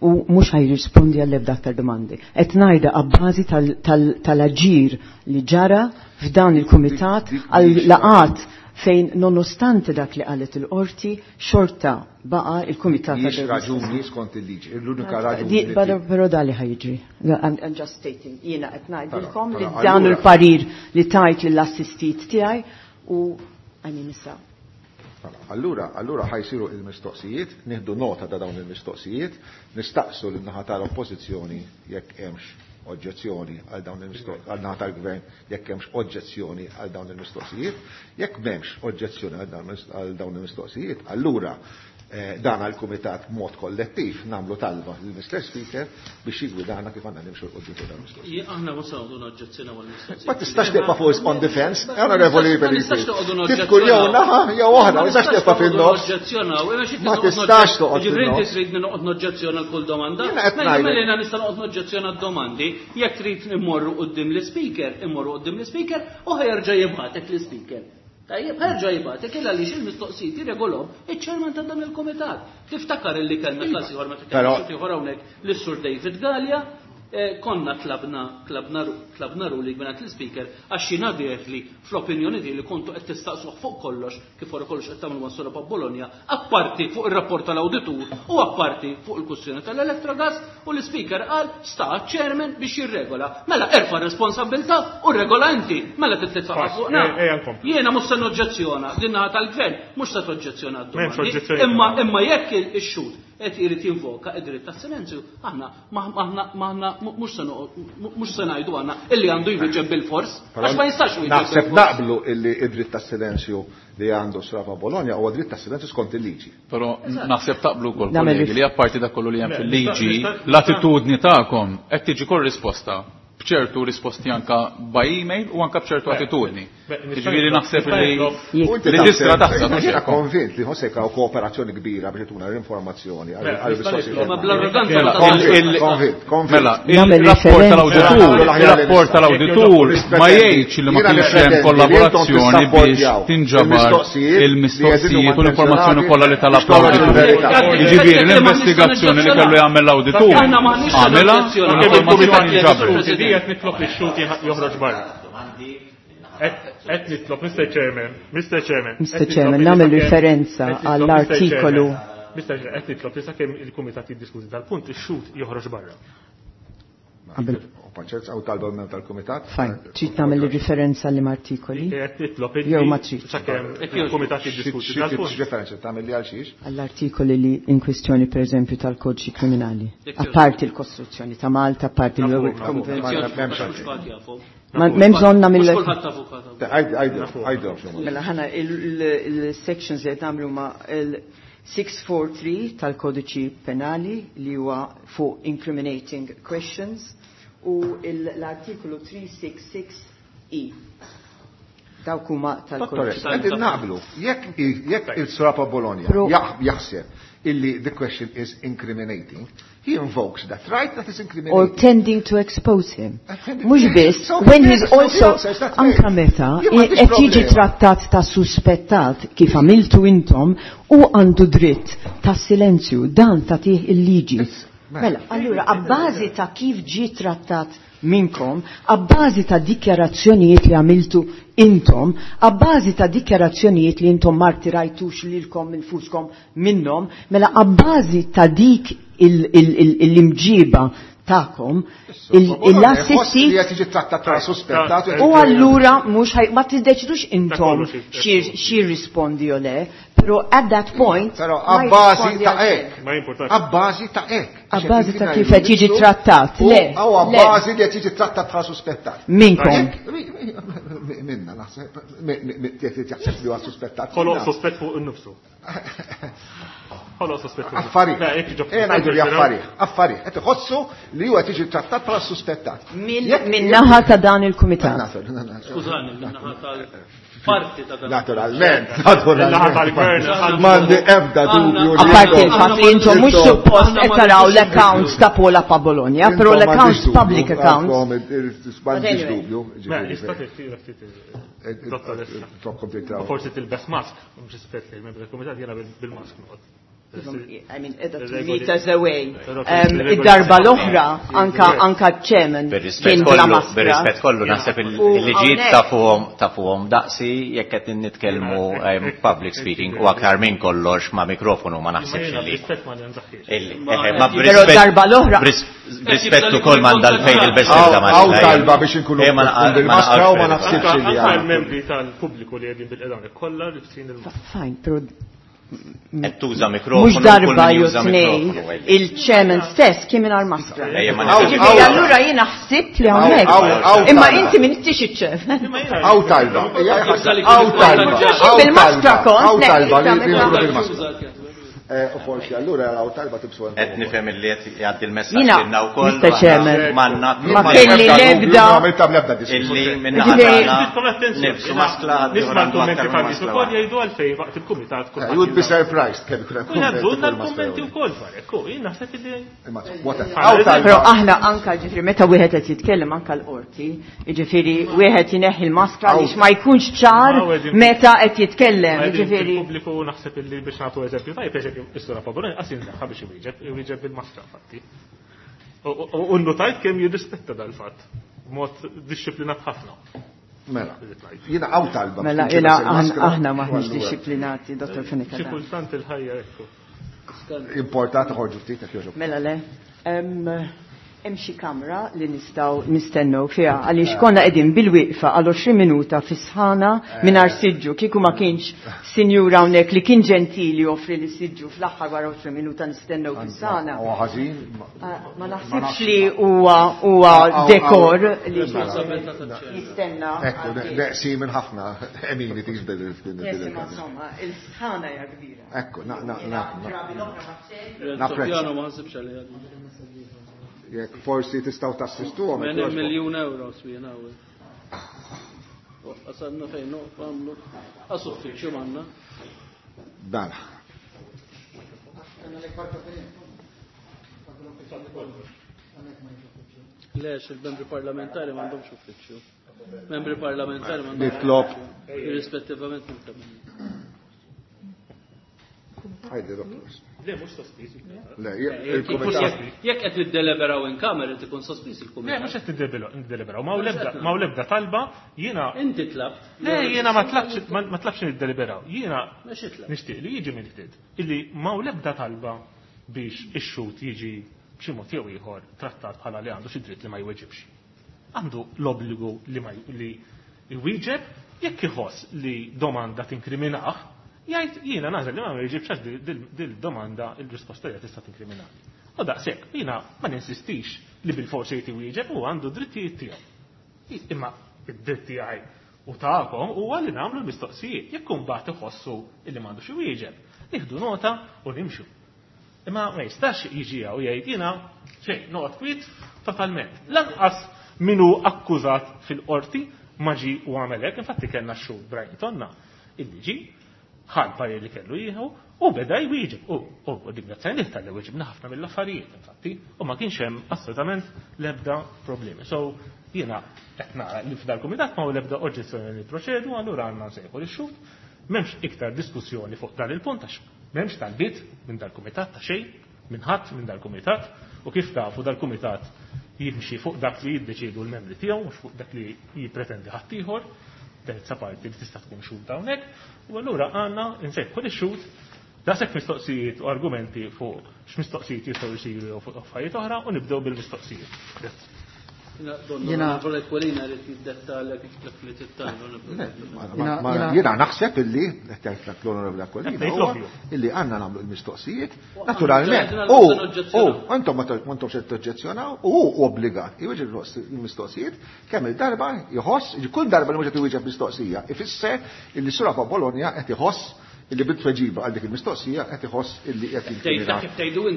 u mhux ħajrispondi għall-ebda aktar domandi. Qed ngħidha abbażi tal-aġir li ġara f'dan il-kumitat għal laqat fejn nonostante dak li qalet il-qorti, xorta baqa il-kumitat. Mhix raġuni skont il-liġi, l-unika raġuni. Però da li ħajġri. I'm just stating, jiena qed ngħidilkom li dan il-parir li tajt lill-assistit tiegħi u għajni nisa. Allura, allura ħajsiru il-mistoqsijiet, nieħdu nota ta' dawn il-mistoqsijiet, nistaqsu lin-naħa tal-oppożizzjoni jekk hemmx oġġezzjoni għal dawn il-mistoqsijiet, għal naħa tal-gvern jekk hemmx oġġezzjoni għal dawn il-mistoqsijiet, jekk m'hemmx oġġezzjoni għal dawn il-mistoqsijiet, allura Dan għal-Kumitat b'mod kollettiv nagħmlu talba lil Mister Speaker biex jigwidana kif għandna nimxu 'l quddiem fuq dan il-mistoqsijiet. Aħna mhux se noqogħdu noġġezzjonaw għall-mistoqsijiet. Ma tistax tibqa' fuq on defense, onorevoli Felipe. Tifkur jew naħa jew oħra, ma tistax tibqa' fin-nofs. Ma tistax toqgħod. Ġifieri inti trid noqgħod noġġezzjona kull domanda. Mela jiena nista' noqgħod noġġezzjona d-domandi, jekk trid immorru quddiem l-ispeaker, immorru quddiem l-ispeaker u ħajerġa' jibgħatek l-ispeaker. Tajjeb, ħerġa jibgħatek illa għaliex il-mistoqsijiet jirregolhom iċ-chairman ta' dan il-kumitat. Tiftakar illi kellna każ ieħor meta kellna ieħor hawnhekk lis-Sur David Galea, konna tlabna tlabna tlabna ruling mingħand l-ispeaker għax jiena li fl-opinjoni tiegħi li kontu qed tistaqsuh fuq kollox kif wara kollox qed tagħmlu mas-Sura Bologna, apparti fuq ir-rapport tal-awditur u apparti fuq il-kwistjoni tal-Electrogas, u l-ispeaker qal sta chairman biex jirregola. Mela erfa' responsabilità u regola inti, mela titfa' fuqna. Jiena mhux se noġġezzjona, din naħa tal-gvern mhux se toġġezzjona d-domandi. Imma imma jekk ix-xhud qed irid jinvoka id-dritt tas-silenzju, aħna aħna mhux se mhux se ngħidu għandna illi għandu jwieġeb bil-fors, għax ma jistax jwieġeb. Naħseb naqblu illi id-dritt tas-silenzju li għandu Srafa Bologna huwa dritt tas-silenzju skont il-liġi. Però naħseb taqblu wkoll kollegi li apparti dak kollu li hemm fil-liġi, l-attitudni tagħkom qed tiġi korrisposta b'ċertu risposti anka by email u anka b'ċertu attitudni. Ġifieri naħseb li li tistra taħseb. Jiena konvint li ħossek hawn kooperazzjoni kbira biex tuna l-informazzjoni għall-risorsi. Konvint, konvint. Mela, il-rapport tal-awditur, il-rapport tal-awditur ma jgħidx li ma kienx hemm kollaborazzjoni biex tinġabar il-mistoqsijiet u l-informazzjoni kollha li talab l-awditur. Jiġifieri l-investigazzjoni li kellu jagħmel l-awditur għamilha u l-informazzjoni nġabret. Qed nitlob li x-xhud joħroġ barra. Qed nitlob, Mister Chairman, Mister Chairman. Mister Chairman, nagħmel referenza għall-artikolu. Mister Chairman, qed nitlob li sakemm il-kumitat jiddiskuti dal-punt ix-xhud joħroġ barra. Paċenza, għaw talba minn tal-kumitat. Fajn, trid tagħmel referenza liema artikoli? Qed nitlob jew ma trid. Sakemm il-kumitat jiddiskuti dal-punt. X'referenza tagħmel li għal xiex? Għall-artikoli li in kwestjoni pereżempju tal-Kodiċi Kriminali. Apparti l-Kostituzzjoni ta' Malta, apparti l-Konvenzjoni. Ma m'hemm bżonn nagħmel. Mela ħana il-sections li qed nagħmlu ma' il six four three tal-Kodiċi Penali li huwa fuq incriminating questions u l-artikolu three six six E. Dawk huma tal-Kodiċi. Qegħdin naqblu, jekk jekk il-Srapa Bologna jaħseb illi the question is incriminating, he invokes that right that is incriminating. Or tending to expose him. Mhux biss, when he's also anka meta qed jiġi trattat ta' suspettat kif għamiltu intom u għandu dritt ta' silenzju, dan tagħtih il-liġi. Mela, allura, abbażi ta' kif ġie trattat minkom, abbażi ta' dikjarazzjonijiet li għamiltu intom, abbażi ta' dikjarazzjonijiet li intom ma rtirajtux lilkom infuskom minnhom, mela abbażi ta' dik l-imġiba ta'kom, l-assisti u allura mhux ma tiddeċidux intom xi rispondi jew le, però at that point però abbażi ta' hekk, abbażi ta' hekk, abbażi ta' kif qed jiġi trattat, le, u abbażi li qed jiġi trattat bħala suspettat. Minkom. Minna naħseb jaħseb li huwa suspettat. Ħoloq suspett fuq innifsu. Ħoloq suspett fuq. Affarijiet. Eh ngħidu li affarijiet, affarijiet. Qed iħossu li huwa tiġi trattat bħala suspettat. Min naħa ta' dan il-kumitat. Skużani, min naħa tal-parti ta' dan. Naturalment, naturalment. M'għandi ebda dubju. Apparti il-fatt li intom mhux suppost qed taraw l-accounts ta' Paola pa' Bologna, però l-accounts public accounts. M'għandix dubju. Forsi tilbes mask, mhux rispett li membri tal-kumitat jiena bil-mask noqgħod. I mean, edha two meters away. Id-darba l-oħra, anka anka ċemen kien bla maskra. Bir-rispett kollu naħseb il-liġijiet tafuhom daqsi jekk qed nitkellmu public speaking u aktar minn kollox ma' mikrofonu ma naħsibx li. Però darba l-oħra. B'rispett ukoll m'għandha l-fejn il-bes ma' Hawn talba biex inkunu bil-maskra u ma naħsibx li. Anka l-membri tal-pubbliku li qegħdin bil-qedgħan kollha libsin il-maskra. Fine, però qed tuża mikrofonu. Mhux darba jew tnejn, il-chairman stess kien mingħajr maskra. Ġifieri allura jiena ħsibt li hawnhekk. Imma inti m'intix iċ-chairman. Hawn talba. Hawn talba. Bil-maskra kont. Hawn talba li bil-maskra. U forsi allura għaw talba tibsu għan. Qed nifhem illi qed jgħaddi l-messaġġ lilna wkoll. Mister Chairman, ma kelli l-ebda. Illi minna ħadana nibsu maskla. Nisma' l-kummenti fadis ukoll jgħidu għalfejn waqt il-kumitat. You would be surprised kemm ikun hemm. Jgħaddulna l-kummenti wkoll dwar jien naħseb illi. Però aħna anka ġifieri meta wieħed qed jitkellem anka l-qorti, jiġifieri wieħed jneħħi l-maskla għaliex ma jkunx ċar meta qed jitkellem, jiġifieri. Il-pubbliku naħseb illi biex nagħtu eżempju tajjeb, eżempju is-sura Paboloni qas jindaħħa biex iwieġeb, iwieġeb bil-maskra fatti. U nnotajt kemm jirrispetta dal-fatt b'mod dixxiplinat ħafna. Mela, jiena hawn talba. Mela, jiena aħna maħniex dixxiplinati, Dottor Fenech. Xi kultant il-ħajja ekku. Importanti ħorġu ftit jekk jogħġobkom. Mela le. Hemm xi kamra li nistgħu nistennew fiha għaliex konna qegħdin bil-wieqfa għal għoxrin minuta fi sħana mingħajr siġġu kieku ma kienx sinjura hawnhekk li kien ġentili joffri li siġġu fl-aħħar wara għoxrin minuta nistennew fi sħana. Huwa ħażin. Ma naħsibx li huwa huwa dekor li jistenna. Ekku, neqsi minn ħafna amenities bil Insomma, il-sħana hija kbira. Ekku, na na na. Napprezza. Ma ħsibx għalija. Jekk forsi tistgħu tassistuhom. Minn miljun euro swien hawn. Qasadna fejn noqgħu għamlu. Qas uffiċċju m'għandna. Mela. Lex il-membri parlamentari m'għandhomx uffiċċju. Membri parlamentari m'għandhomx. Nitlob. Irrispettivament minn kemm. Ħajdi, doktor. Le, mhux sospiż. Le, il-kumitat. Jekk qed niddeliberaw in kamera ikun sospiż il-kumitat. Le, mhux qed niddeliberaw. Ma l-ebda talba jiena. Inti tlabt. Le, jiena ma tlabx ma tlabx niddeliberaw. Jiena nixtieq li jiġi mill-ġdid illi ma l-ebda talba biex ix-xhud jiġi b'xi mod jew ieħor trattat bħala li għandu xi dritt li ma jweġibx. Għandu l-obbligu li ma li jwieġeb jekk iħoss li domanda tinkriminah. Jgħid jiena nażel li ma jġibx għax dil-domanda il-risposta hija tista' tinkriminali. U daqshekk jiena ma ninsistix li bil-forsi jrid iwieġeb u għandu drittijiet tiegħu. Imma id-dritt tiegħi u tagħkom huwa li nagħmlu l-mistoqsijiet jekk imbagħad iħossu illi m'għandux iwieġeb. Nieħdu nota u nimxu. Imma ma jistax jiġi hawn jgħid jiena xejn noqgħod kwiet totalment. Lanqas min hu akkużat fil-qorti ma ġie u għamel hekk, infatti kellna x-xhud Brian Tonna illi ġie ħal parir li kellu jieħu u beda jwieġeb. U ringrazzjani tal-li weġibna ħafna mill-affarijiet infatti u ma kienx hemm assolutament l-ebda problemi. So jiena qed nara li f'dal-kumitat ma hu l-ebda oġġezzjoni li proċedu, allura għandna nsejħu lix-xhud. M'hemmx iktar diskussjoni fuq dan il-punt għax m'hemmx talbiet minn dal-kumitat ta' xejn, minn ħadd minn dal-kumitat, u kif tafu dal-kumitat jimxi fuq dak li jiddeċiedu l-membri tiegħu mhux fuq dak li jippretendi ħadd ieħor. Terza parti li tista' tkun xhud hawnhekk, u allura għandna nsejħu lix-xhud daqshekk mistoqsijiet u argumenti fuq x'mistoqsijiet jistgħu jsiru jew fuq affarijiet oħra u nibdew bil-mistoqsijiet. Jiena Jiena naħseb illi qed jgħid l-Onorevoli Aquilina illi għandna nagħmlu l-mistoqsijiet naturalment. U intom ma intomx qed toġġezzjonaw u hu obbligat iwieġeb il-mistoqsijiet kemm il-darba jħoss, kull darba li mhux qed iwieġeb mistoqsija ifisser illi Sura Bologna qed iħoss illi bit-tweġiba għal dik il-mistoqsija qed iħoss illi qed jinkrimina.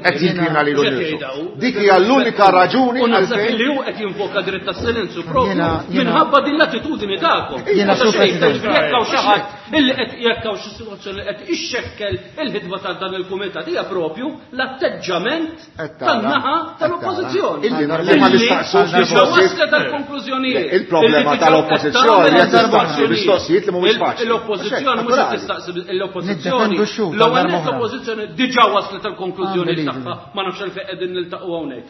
Qed jinkrimina lilu nnifsu. Dik hija l-unika raġuni għalfejn li hu qed jinvoka dritt tas-silenzju propju minħabba din l-attitudini tagħkom. Jekk hawn xi ħadd illi qed jekk hawn xi sitwazzjoni qed ixxekkel il-ħidma ta' dan il-kumitat hija propju l-atteġġament tan-naħa tal-oppożizzjoni. Illi ma nistaqsux mistoqsijiet tal-konklużjonijiet. Il-problema tal-oppożizzjoni qed tistaqsi mistoqsijiet li mhumiex faċli. L-oppożizzjoni mhux qed tistaqsi l-oppożizzjoni. L-ewwel l-oppożizzjoni diġà waslet tal-konklużjoni tagħha, ma nafx għalfejn qegħdin niltaqgħu hawnhekk.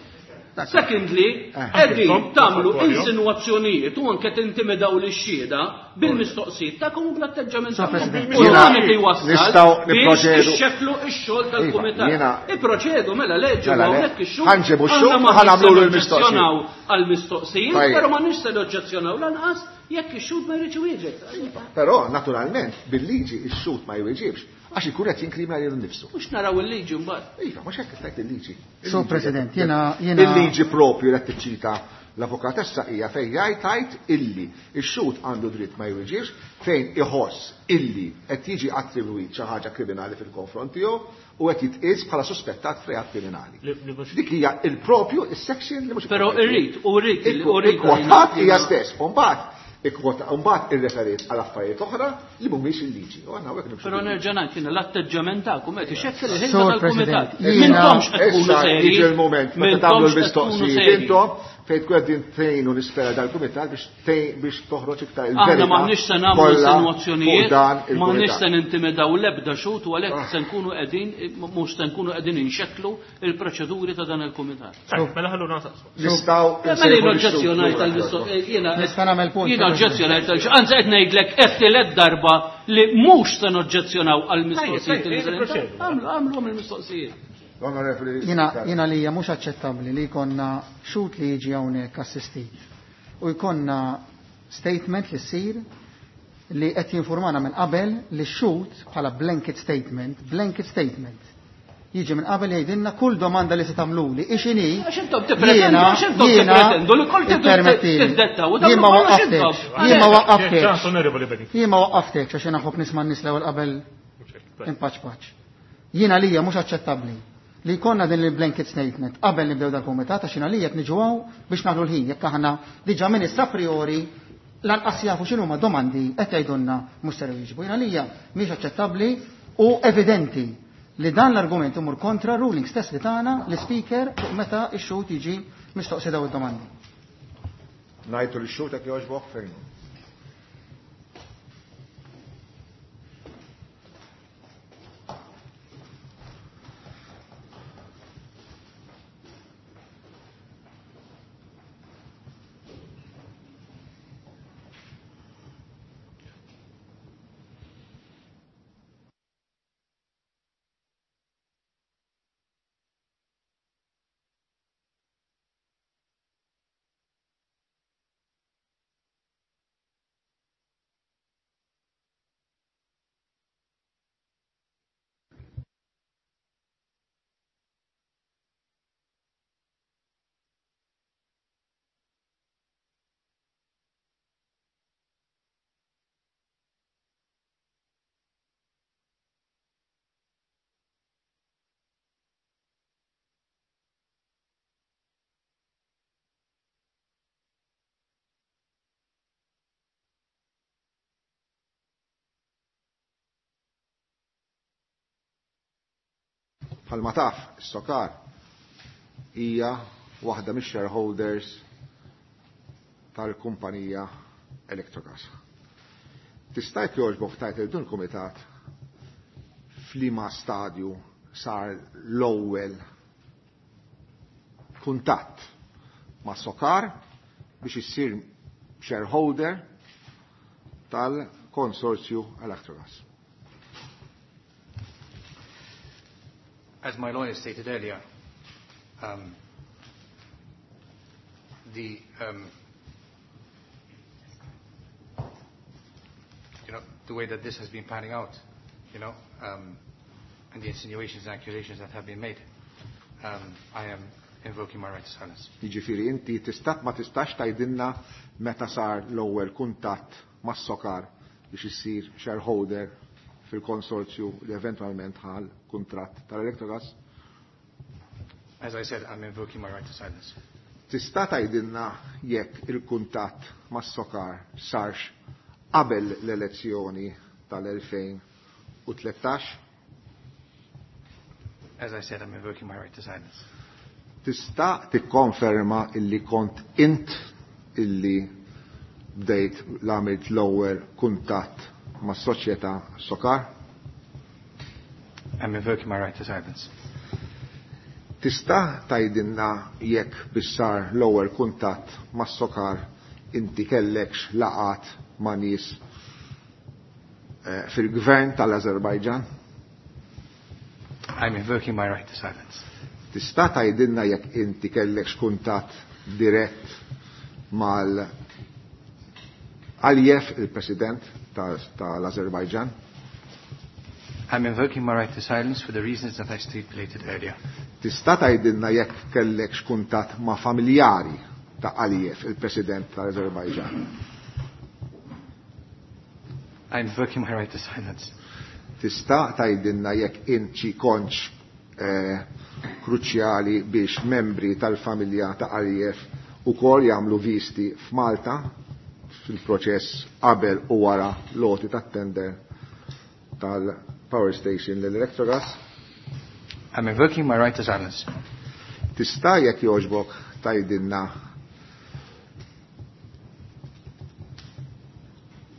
Secondly, qegħdin tagħmlu insinwazzjonijiet u anke tintimidaw lix-xhieda bil-mistoqsijiet tagħkom u bl-atteġġament tagħkom. U dan qed iwassal biex ixxekklu x-xogħol tal-kumitat. Ipproċedu mela leġġu hawnhekk ix-xogħol. Ħanġibu x-xogħol u ħanagħmlu l-mistoqsijiet. Għall-mistoqsijiet, però ma nix se noġġezzjonaw lanqas jekk ix-xhud ma jridx iwieġeb. Però naturalment bil-liġi x-xhud ma jwieġibx għax ikun qed jinkrimina lilu nnifsu. Mhux naraw il-liġi mbagħad. Iva, mhux hekk qed il-liġi. So President, jiena jiena il-liġi propju qed tiċċita L-avukatessa hija fejn jgħid tgħid illi x-xhud għandu dritt ma jwiġibx fejn iħoss illi qed jiġi attribwit xi ħaġa kriminali fil-konfront tiegħu u qed jitqies bħala suspettat f'reat kriminali. Dik hija il-propju is-section li mhux. Però irrid u rrid u rrid Ikkwotat hija stess. U mbagħad ikkwota mbagħad irreferiet għal affarijiet oħra li mhumiex il-liġi. U aħna hawnhekk nimxu. Però nerġa' ngħid jiena l-atteġġament tagħkom qed ixekkel il-ħidma Sur tal-kumitat. President, jiena- M'intomx qed tkunu Issa seri. jiġi l-moment meta tagħmlu M'intomx qed tkunu l-mistoqsijiet seri. intom fejn tkun qegħdin tgħinu nispera dal-kumitat biex tgħin- biex toħroġ iktar il-verità. Aħna m'aħniex se nagħmlu kollha fuq insinuazzjonijiet, dan m'aħniex il-kumitat. se nintimidaw l-ebda xhud u għalhekk se nkunu qegħdin mhux se nkunu qegħdin inxekklu il-proċeduri ta' dan il-kumitat. Tajjeb, mela ħalluna nsaqsu. Nistgħu Mela nsejħu jien lix-xhud oġġezzjonajt lura. tal-mistoqsijiet. Jiena Nista' nagħmel punt, Jiena President. oġġezzjonajt tal Anzi qed ngħidlek qed tielet darba li mhux se noġġezzjonaw għall-mistoqsijiet Tajjeb, li tajjeb, se proċedu. Għamlu għamlu il-mistoqsijiet. L-Onorevoli Jina, jina li hija mhux aċċettabbli li jkollna xhud li jiġi hawnhekk assistit u jkollna statement li ssir li qed jinformana minn qabel li x-xhud bħala blanket statement, blanket statement. Jiġi minn qabel jgħidilna kull domanda li se tagħmluli ix-inhi. Għax intom tippretendu, għax intom tippretendu li kull ippermettili. tiddettaw u Jien ma tagħmlu kollox waqqaftekx, intom. jien ma Ċans, waqqaftekx. Onorevoli Benito. Jien ma waqqaftekx għax jiena nħobb nisma' n-nies l-ewwel qabel impaċ paċ. Jiena lija mhux aċċettabbli li jkollna din il-blanket statement qabel nibdew dal-kumitat għax jiena lija qed niġu hawn biex naħlu l-ħin jekk aħna diġà minn issa priori lanqas jafu x'inhuma domandi qed jgħidulna mhux ser jwieġbu. Jiena lija mhix aċċettabbli u evidenti li dan l-argument imur kontra ruling stess li tagħna l-speaker fuq meta x-xhud jiġi mistoqsi daw id-domandi. Ngħidu lix-xhud jekk jogħġbok fejn. Bħalma taf, is-SOCAR hija waħda mix-shareholders tal-kumpanija Electrogas. Tista' jekk jogħġbok tgħid lil dun il-kumitat f'liema stadju sar l-ewwel kuntatt ma' SOCAR biex issir shareholder tal-konsorzju Electrogas. As my lawyer stated earlier, um, the, um, you know, the way that this has been panning out, you know, um, and the insinuations and accusations that have been made, um, I am invoking my right to silence. Jiġifieri inti tista' ma tistax tgħidilna meta sar l-ewwel kuntatt mas-SOCAR biex issir shareholder fil-konsorzju li eventwalment ħal kuntratt tal-Electrogas? As I said, I'm invoking my right to silence. Tista' tgħidilna jekk il-kuntatt mas-SOCAR sarx qabel l-elezzjoni tal-elfejn u tlettax? As I said, I'm invoking my right to silence. Tista' tikkonferma illi kont int illi bdejt l-għamilt l-ewwel kuntatt mas-soċjetà SOCAR? I'm invoking my right to silence. Tista' tgħidilna jekk biex sar l-ewwel kuntatt mas-SOCAR inti kellekx laqat ma' nies, eh, fil-gvern tal-Azerbajġan? I'm invoking my right to silence. Tista' tgħidilna jekk inti kellekx kuntatt dirett mal Aliyev, il-President tal-Azerbajġan? I'm invoking my right to silence for the reasons that I stipulated earlier. Tista' tgħidilna jekk kellekx kuntatt ma' familjari ta' Aliyev, il-President tal-Azerbajġan? I'm invoking my right to silence. Tista' tgħidilna jekk inti kontx eh, kruċjali biex membri tal-familja ta' Aliyev ukoll jagħmlu visti f'Malta fil-proċess qabel u wara l-għoti tat-tender tal-power station l-Electrogas? I'm invoking my right to silence. Tista' jekk jogħġbok tgħidilna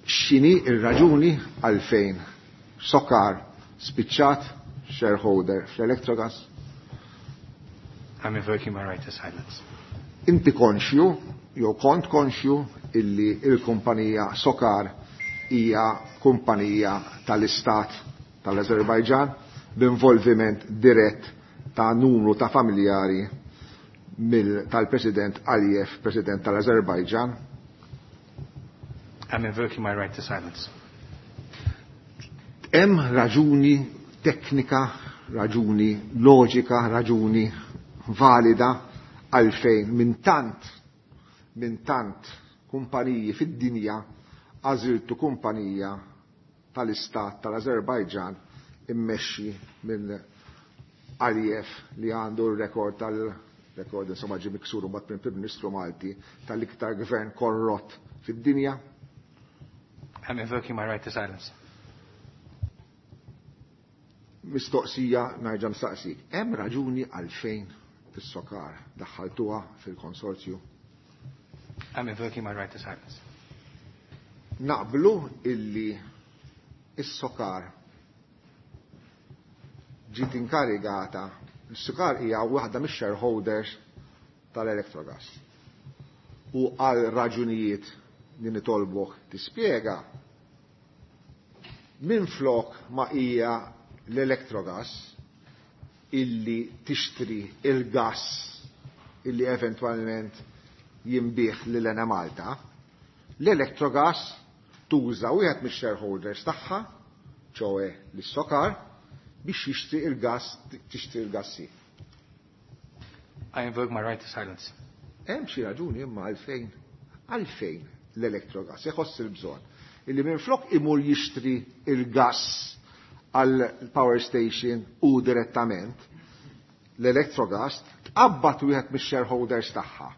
x'inhi r-raġuni għalfejn SOCAR spiċċat shareholder fl-Electrogas? I'm invoking my right to silence. Inti konxju, jew kont konxju, illi il-kumpanija SOCAR hija kumpanija tal-Istat tal-Azerbajġan b'involviment dirett ta' numru ta' familjari tal-President Aliyev, President tal-Azerbajġan? I'm invoking my right to silence. Hemm raġuni teknika, raġuni loġika, raġuni valida għalfejn minn tant minn tant kumpaniji fid-dinja għażiltu kumpanija tal-Istat tal-Azerbajġan immexxi minn Aliyev li għandu r-rekord tal-rekord insomma ġie miksur mbagħad minn Prim Ministru Malti tal-iktar gvern korrott fid-dinja? I'm invoking my right to silence. Mistoqsija nerġa' nistaqsik. Hemm raġuni għalfejn is-SOCAR daħħaltuha fil-konsorzju? I'm invoking my right to silence. Naqblu illi is-SOCAR ġiet inkarigata, is-SOCAR hija waħda mix-shareholders tal-Electrogas. U għal raġunijiet li nitolbok tispjega, minflok ma hija l-Electrogas illi tixtri il-gas illi eventwalment jinbiegħ lil Enemalta, l-Electrogas tuża wieħed mix-shareholders tagħha, ċoe l-SOCAR, biex jixtri il-gas, tixtri il-gassi. I invoke my right to silence. Hemm xi raġuni imma għalfejn, għalfejn l-Electrogas iħoss il-bżonn illi minflok imur jixtri il-gas għal power station u direttament, l-Electrogas tqabbad wieħed mix-shareholders tagħha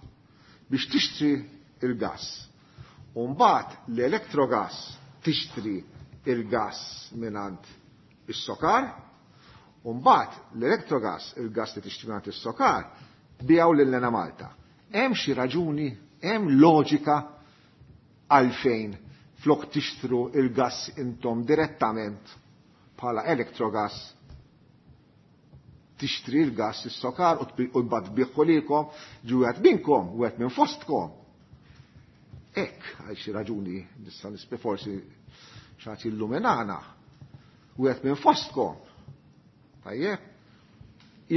biex tixtri il-gas. U mbagħad l-Electrogas tixtri il-gas mingħand is-SOCAR, u mbagħad l-Electrogas il-gas li tixtri mingħand is-SOCAR biegħu lil Enemalta. Hemm xi raġuni, hemm loġika għalfejn flok tixtru il-gas intom direttament bħala Electrogas tixtri l-gas is-SOCAR u mbagħad tbieħu lilkom, ġi wieħed minnkom, wieħed minn fostkom. Hekk għal xi raġuni nista' nispe forsi xi illuminana, wieħed minn fostkom. Tajjeb,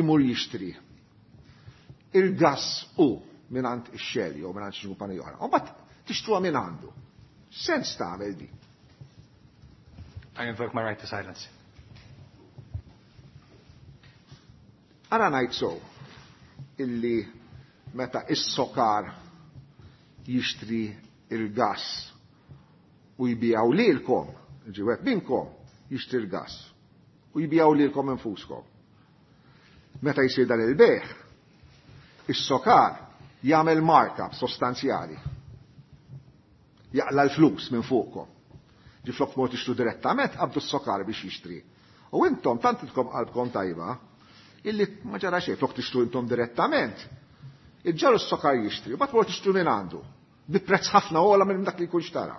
imur jixtri il-gas u mingħand ix-Shell jew mingħand xi kumpanija oħra. U mbagħad tixtruha minn għandu. Sens tagħmel di. I invoke my right to silence. Ara ngħid so illi meta is-SOCAR jixtri il-gas u jbiegħu lilkom, ġi wieħed minnkom jixtri l-gas u jbiegħu lilkom infuskom. Meta jsir dan il-bejgħ, is-SOCAR jagħmel markup sostanzjali. Jaqla l-flus minn fuqkom. Ġi flok mod tixtru direttament, qabdu s-SOCAR biex jixtri. U intom tant intkom qalbkom tajba, illi ma ġara xejn, flok tixtru intom direttament, iġġaru s-SOCAR jixtri, u mbagħad mod tixtru minn għandu, bi prezz ħafna ogħla minn dak li jkun xtara.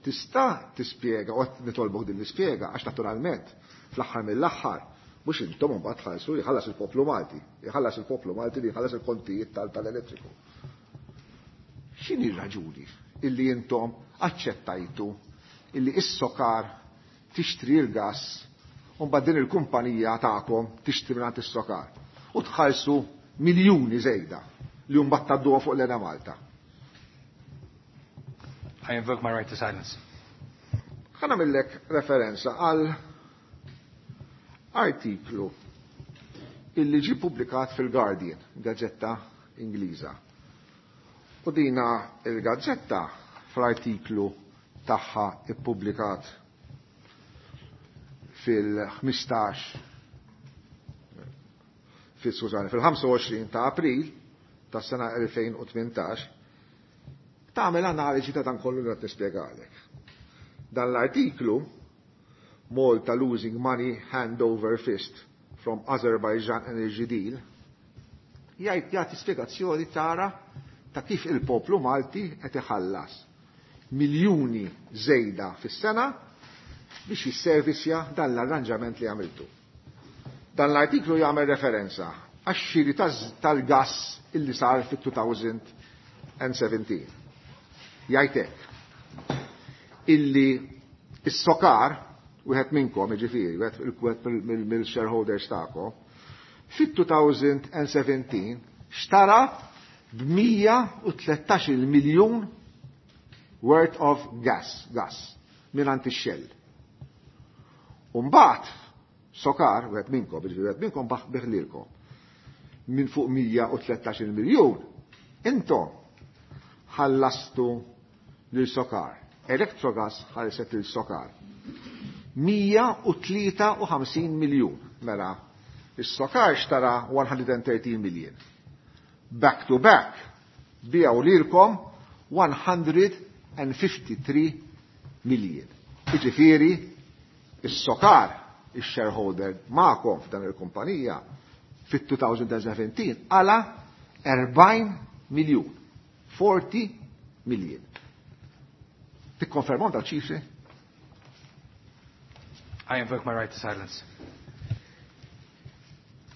Tista' tispjega, u qed nitolbok din l-ispjega, għax naturalment, fl-aħħar mill-aħħar, mhux intom imbagħad tħallsu, jħallas il-poplu Malti, jħallas il-poplu Malti li jħallas il-kontijiet tal-elettriku. X'inhi r-raġuni illi intom aċċettajtu illi is-SOCAR tixtri l-gas u mbagħad din il-kumpanija tagħkom tixtri mingħand is-SOCAR u tħallsu miljuni żejda li mbagħad tgħadduha fuq l-Enemalta? I invoke my right to silence. Ħa nagħmillek referenza għal artiklu illi ġi publikat fil-Guardian, gazzetta Ingliża. U dina il-gazzetta fl-artiklu tagħha ippubblikat fil-ħmistax fil-skużani, fil-ħamsa u għoxrin ta' April tas-sena elfejn u tmintax tagħmel analiżi ta' dan kollu li qed nispjegalek. Dan l-artiklu Malta losing money hand over fist from Azerbaijan Energy Deal jgħid jagħti spjegazzjoni tara ta' kif il-poplu Malti qed iħallas miljuni żejda fis-sena biex jisservisja dan l-arranġament li għamiltu. Dan l-artiklu jagħmel referenza għax-xiri tal-gas illi sar fit-two thousand and seventeen. Jgħid hekk illi s-SOCAR, wieħed minnkom, jiġifieri, wieħed mill-shareholders tagħkom, fit-two thousand and seventeen xtara b'mija u tlettax-il miljun worth of gas, gas mingħand ix-Shell. U mbagħad SOCAR, wieħed minnkom, jiġifieri wieħed minnkom baħ biħlilkom, minn fuq mija u tlettax-il miljun, intom ħallastu lil SOCAR. Electrogas ħallset lil SOCAR. Mija u tlieta u ħamsin miljun. Mela, is-SOCAR xtara one hundred and thirteen million. Back to back, bijaw lilkom one hundred and fifty-three million. Jiġifieri, is-SOCAR, ix-shareholder magħkom f'dan il-kumpanija, fit-two thousand and seventeen għala erbgħin miljun. forty million. Tikkonfermaw dal-ċifri? I invoke my right to silence.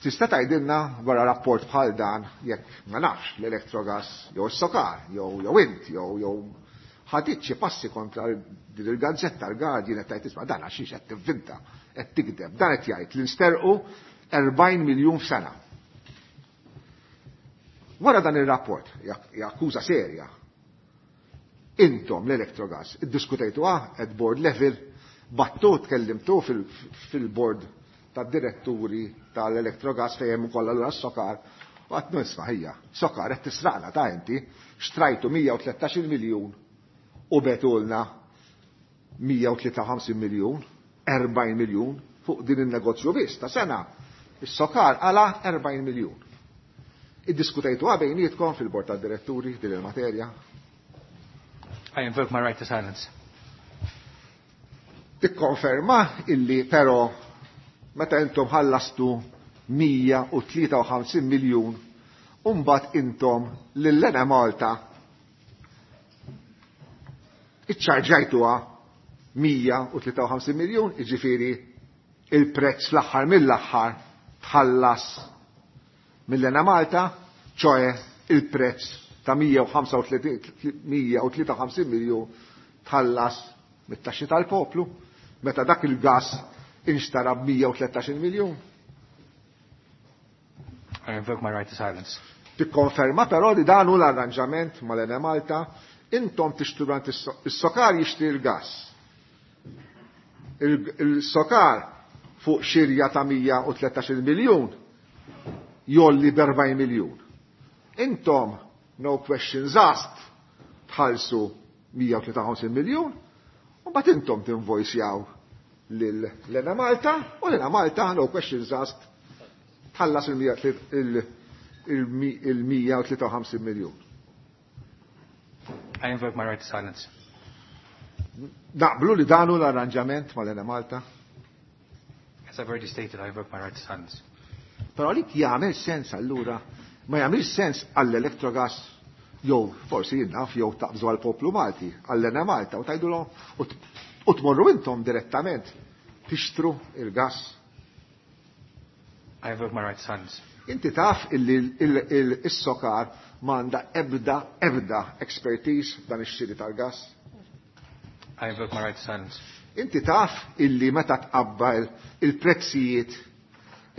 Tista' tgħidilna wara rapport bħal dan jekk ma nafx l-Electrogas jew is-SOCAR jew jew int jew jew ħadit xi passi kontra din il-gazzetta l-Guardian qed tgħid isma' dan għax qed tivvinta, qed tikdeb, dan qed jgħid li nsterqu erbgħin miljun f'sena. Wara dan ir-rapport, hija akkuża serja, intom l-Electrogas iddiskutejtuha at board level, battu tkellimtu fil-, fil-board tad-diretturi tal-Electrogas fejn hemm ukoll allura s-SOCAR, u għad nisma' ħija, SOCAR qed tisraqna ta' inti, xtrajtu mija u tlettax-il miljun u betulna mija u tlieta u ħamsin miljun, erbgħin miljun fuq din in-negozju biss ta' sena. Is-SOCAR għala erbgħin miljun. Iddiskutejtuha bejnietkom fil-bord tad-diretturi din il-materja? I invoke my right to silence. Tikkonferma illi però meta intom ħallastu mija u tlieta u ħamsin miljun u mbagħad intom lil Enemalta iċċarġajtuha mija u tlieta u ħamsin miljun, jiġifieri il-prezz fl-aħħar mill-aħħar tħallas mill-Enemalta, ċoe il-prezz ta' mija u ħamsa u tletin, mija u tlieta u ħamsin miljun tħallas mit-taxxi tal-poplu, meta dak il-gas inxtara b'mija u tlettax-il miljun. I invoke my right to silence. Tikkonferma però li dan hu l-arranġament mal-Enemalta, intom tixtru għand is-SOCAR jixtri l-gas. Il-SOCAR fuq xirja ta' mija u tlettax-il miljun jolli b'erbgħin miljun. Intom, no questions asked, tħallsu mija u tlieta u ħamsin miljun, u mbagħad intom tinvojsjaw lil Enemalta, u l-Enemalta, no questions asked, tħallas il-mija u tlieta u ħamsin miljun. I invoke my right to silence. Naqblu li dan hu l-arranġament mal-Enemalta? As I've already stated, I invoke my right to silence. Però li jagħmel sens allura, ma jagħmilx sens għall-Electrogas jew forsi jien naf jew taqbżu għall-poplu Malti, għall-Enemalta u tgħidulhom u t-, u tmorru intom direttament tixtru il-gas. I invoke my right to silence. Inti taf illi il-, il-, is-SOCAR m'għandha ebda, ebda expertise f'dan ix-xiri tal-gas? I invoke my right to silence. Inti taf illi meta tqabbel il-prezzijiet,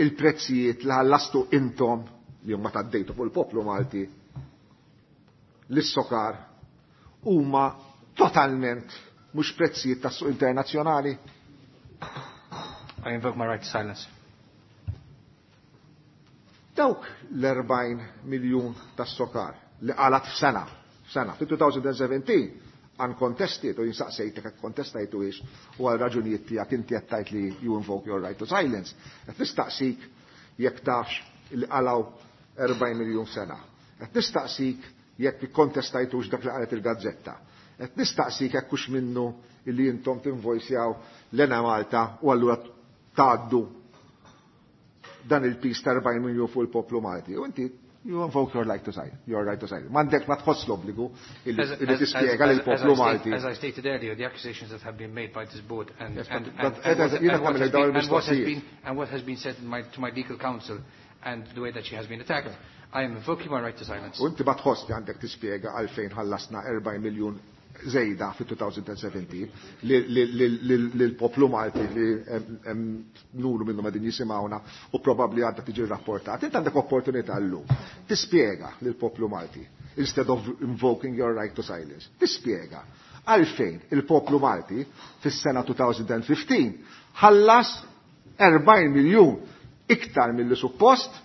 il-prezzijiet li ħallastu intom li huma taddejtu fuq il-poplu Malti lis-SOCAR huma totalment mhux prezzijiet tas-suq internazzjonali? I invoke my right to silence. Dawk l-erbgħin miljun tas-SOCAR li qalat f'sena Sena, fi twenty seventeen, uncontested, u jinsaqsejtek jekk kontestajtu ix u għal raġunijiet tiegħek inti qed tgħid li you invoke your right to silence. Qed nistaqsik jekk tafx li qalgħu erbgħin miljun sena. Qed nistaqsik jekk ikkontestajtux dak li qalet il-gazzetta. Qed nistaqsik jekk hux minnu illi intom tinvojsjaw l-Enemalta u allura tgħaddu dan il-piż ta' erbgħin miljun fuq il-poplu Malti. U inti you invoke your right to silence. Your right to silence. M'għandek ma tħoss l-obbligu illi tispjega lill-poplu Malti. As I stated earlier, the accusations that have been made by this board and, Yes, and, but- and, but and, what, jiena and, what tagħmel has dawn been, and, what has il-mistoqsijiet. been, and what has been said my, to my legal counsel and the way that she has been attacked, I am invoking my right to silence. U inti ma tħoss li għandek tispjega għalfejn ħallasna erbgħin miljun żejda fi twenty seventeen lill-poplu Malti li hemm numru minnhom qegħdin jisimgħuna u probabbli għadha tiġi rrapportat. Inti għandek opportunità llum tispjega lill-poplu Malti instead of invoking your right to silence. Tispjega għalfejn il-poplu Malti fis-sena twenty fifteen ħallas erbgħin miljun iktar mill-li suppost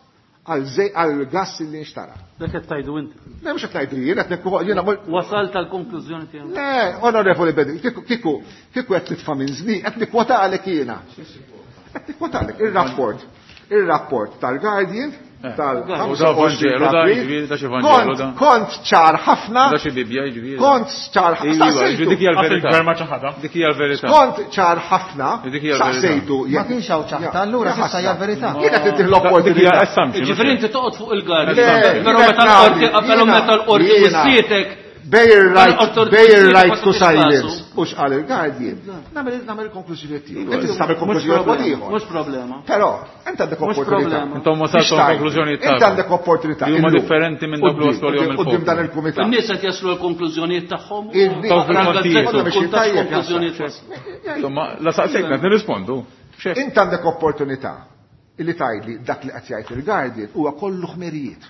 għal gas li nxtara. Dak qed tgħidu inti. Le, mhux qed ngħidu jien, qed nekku jiena mhux- Wasalt tal-konklużjoni tiegħek. Le, onorevoli Bedi, kieku kieku kieku qed nitfa' minn żni, qed nikkwota għalek jiena. Qed nikkwota għalek ir-rapport. Ir-rapport tal-Guardian Eh. tal-ħamsa u għoxrin U da Vanġelu, da April. jiġifieri, da xi Vanġelu, da. Kont kont ċar ħafna. Da xi Bibbja jiġifieri. Kont ċar Iva, jiġifieri dik hija l-verità. Il-gvern ma ċaħadha. Dik hija l-verità. Kont ċar ħafna. Dik hija l-verità. Saqsejtu. Ma kienx hawn ċaħta, allura s'issa hija verità. Jiena qed Dik hija l-opportunità. assumption. Ġifieri inti toqgħod fuq il-Guardian. Le, Però meta l-qorti però meta l-qorti jiena- wissietek Bej right, bej right to Mela, silence. U x'qal il-Guardian. Nagħmel nagħmel il-konklużjoni tiegħi. Inti tista' tagħmel konklużjoni mod ieħor. Mhux problema. Però, inti għandek Mhux opportunità. problema. Intom wasaltu Biex tgħid. konklużjonijiet Inti tagħkom. għandek opportunità. Li huma illum. differenti minn dak li Quddiem- waslu għalihom Quddiem il-poplu. dan il-kumitat. In-nies qed jaslu l-konklużjonijiet tagħhom. In-nies- Taw fil-kontijiet. Tkun Biex tafx tajjeb konklużjonijiet jasal. waslu. Insomma, la saqsejtna, nirrispondu. Xek. Inti għandek opportunità illi tgħidli dak li qed jgħid il-Guardian huwa kollu ħmerijiet.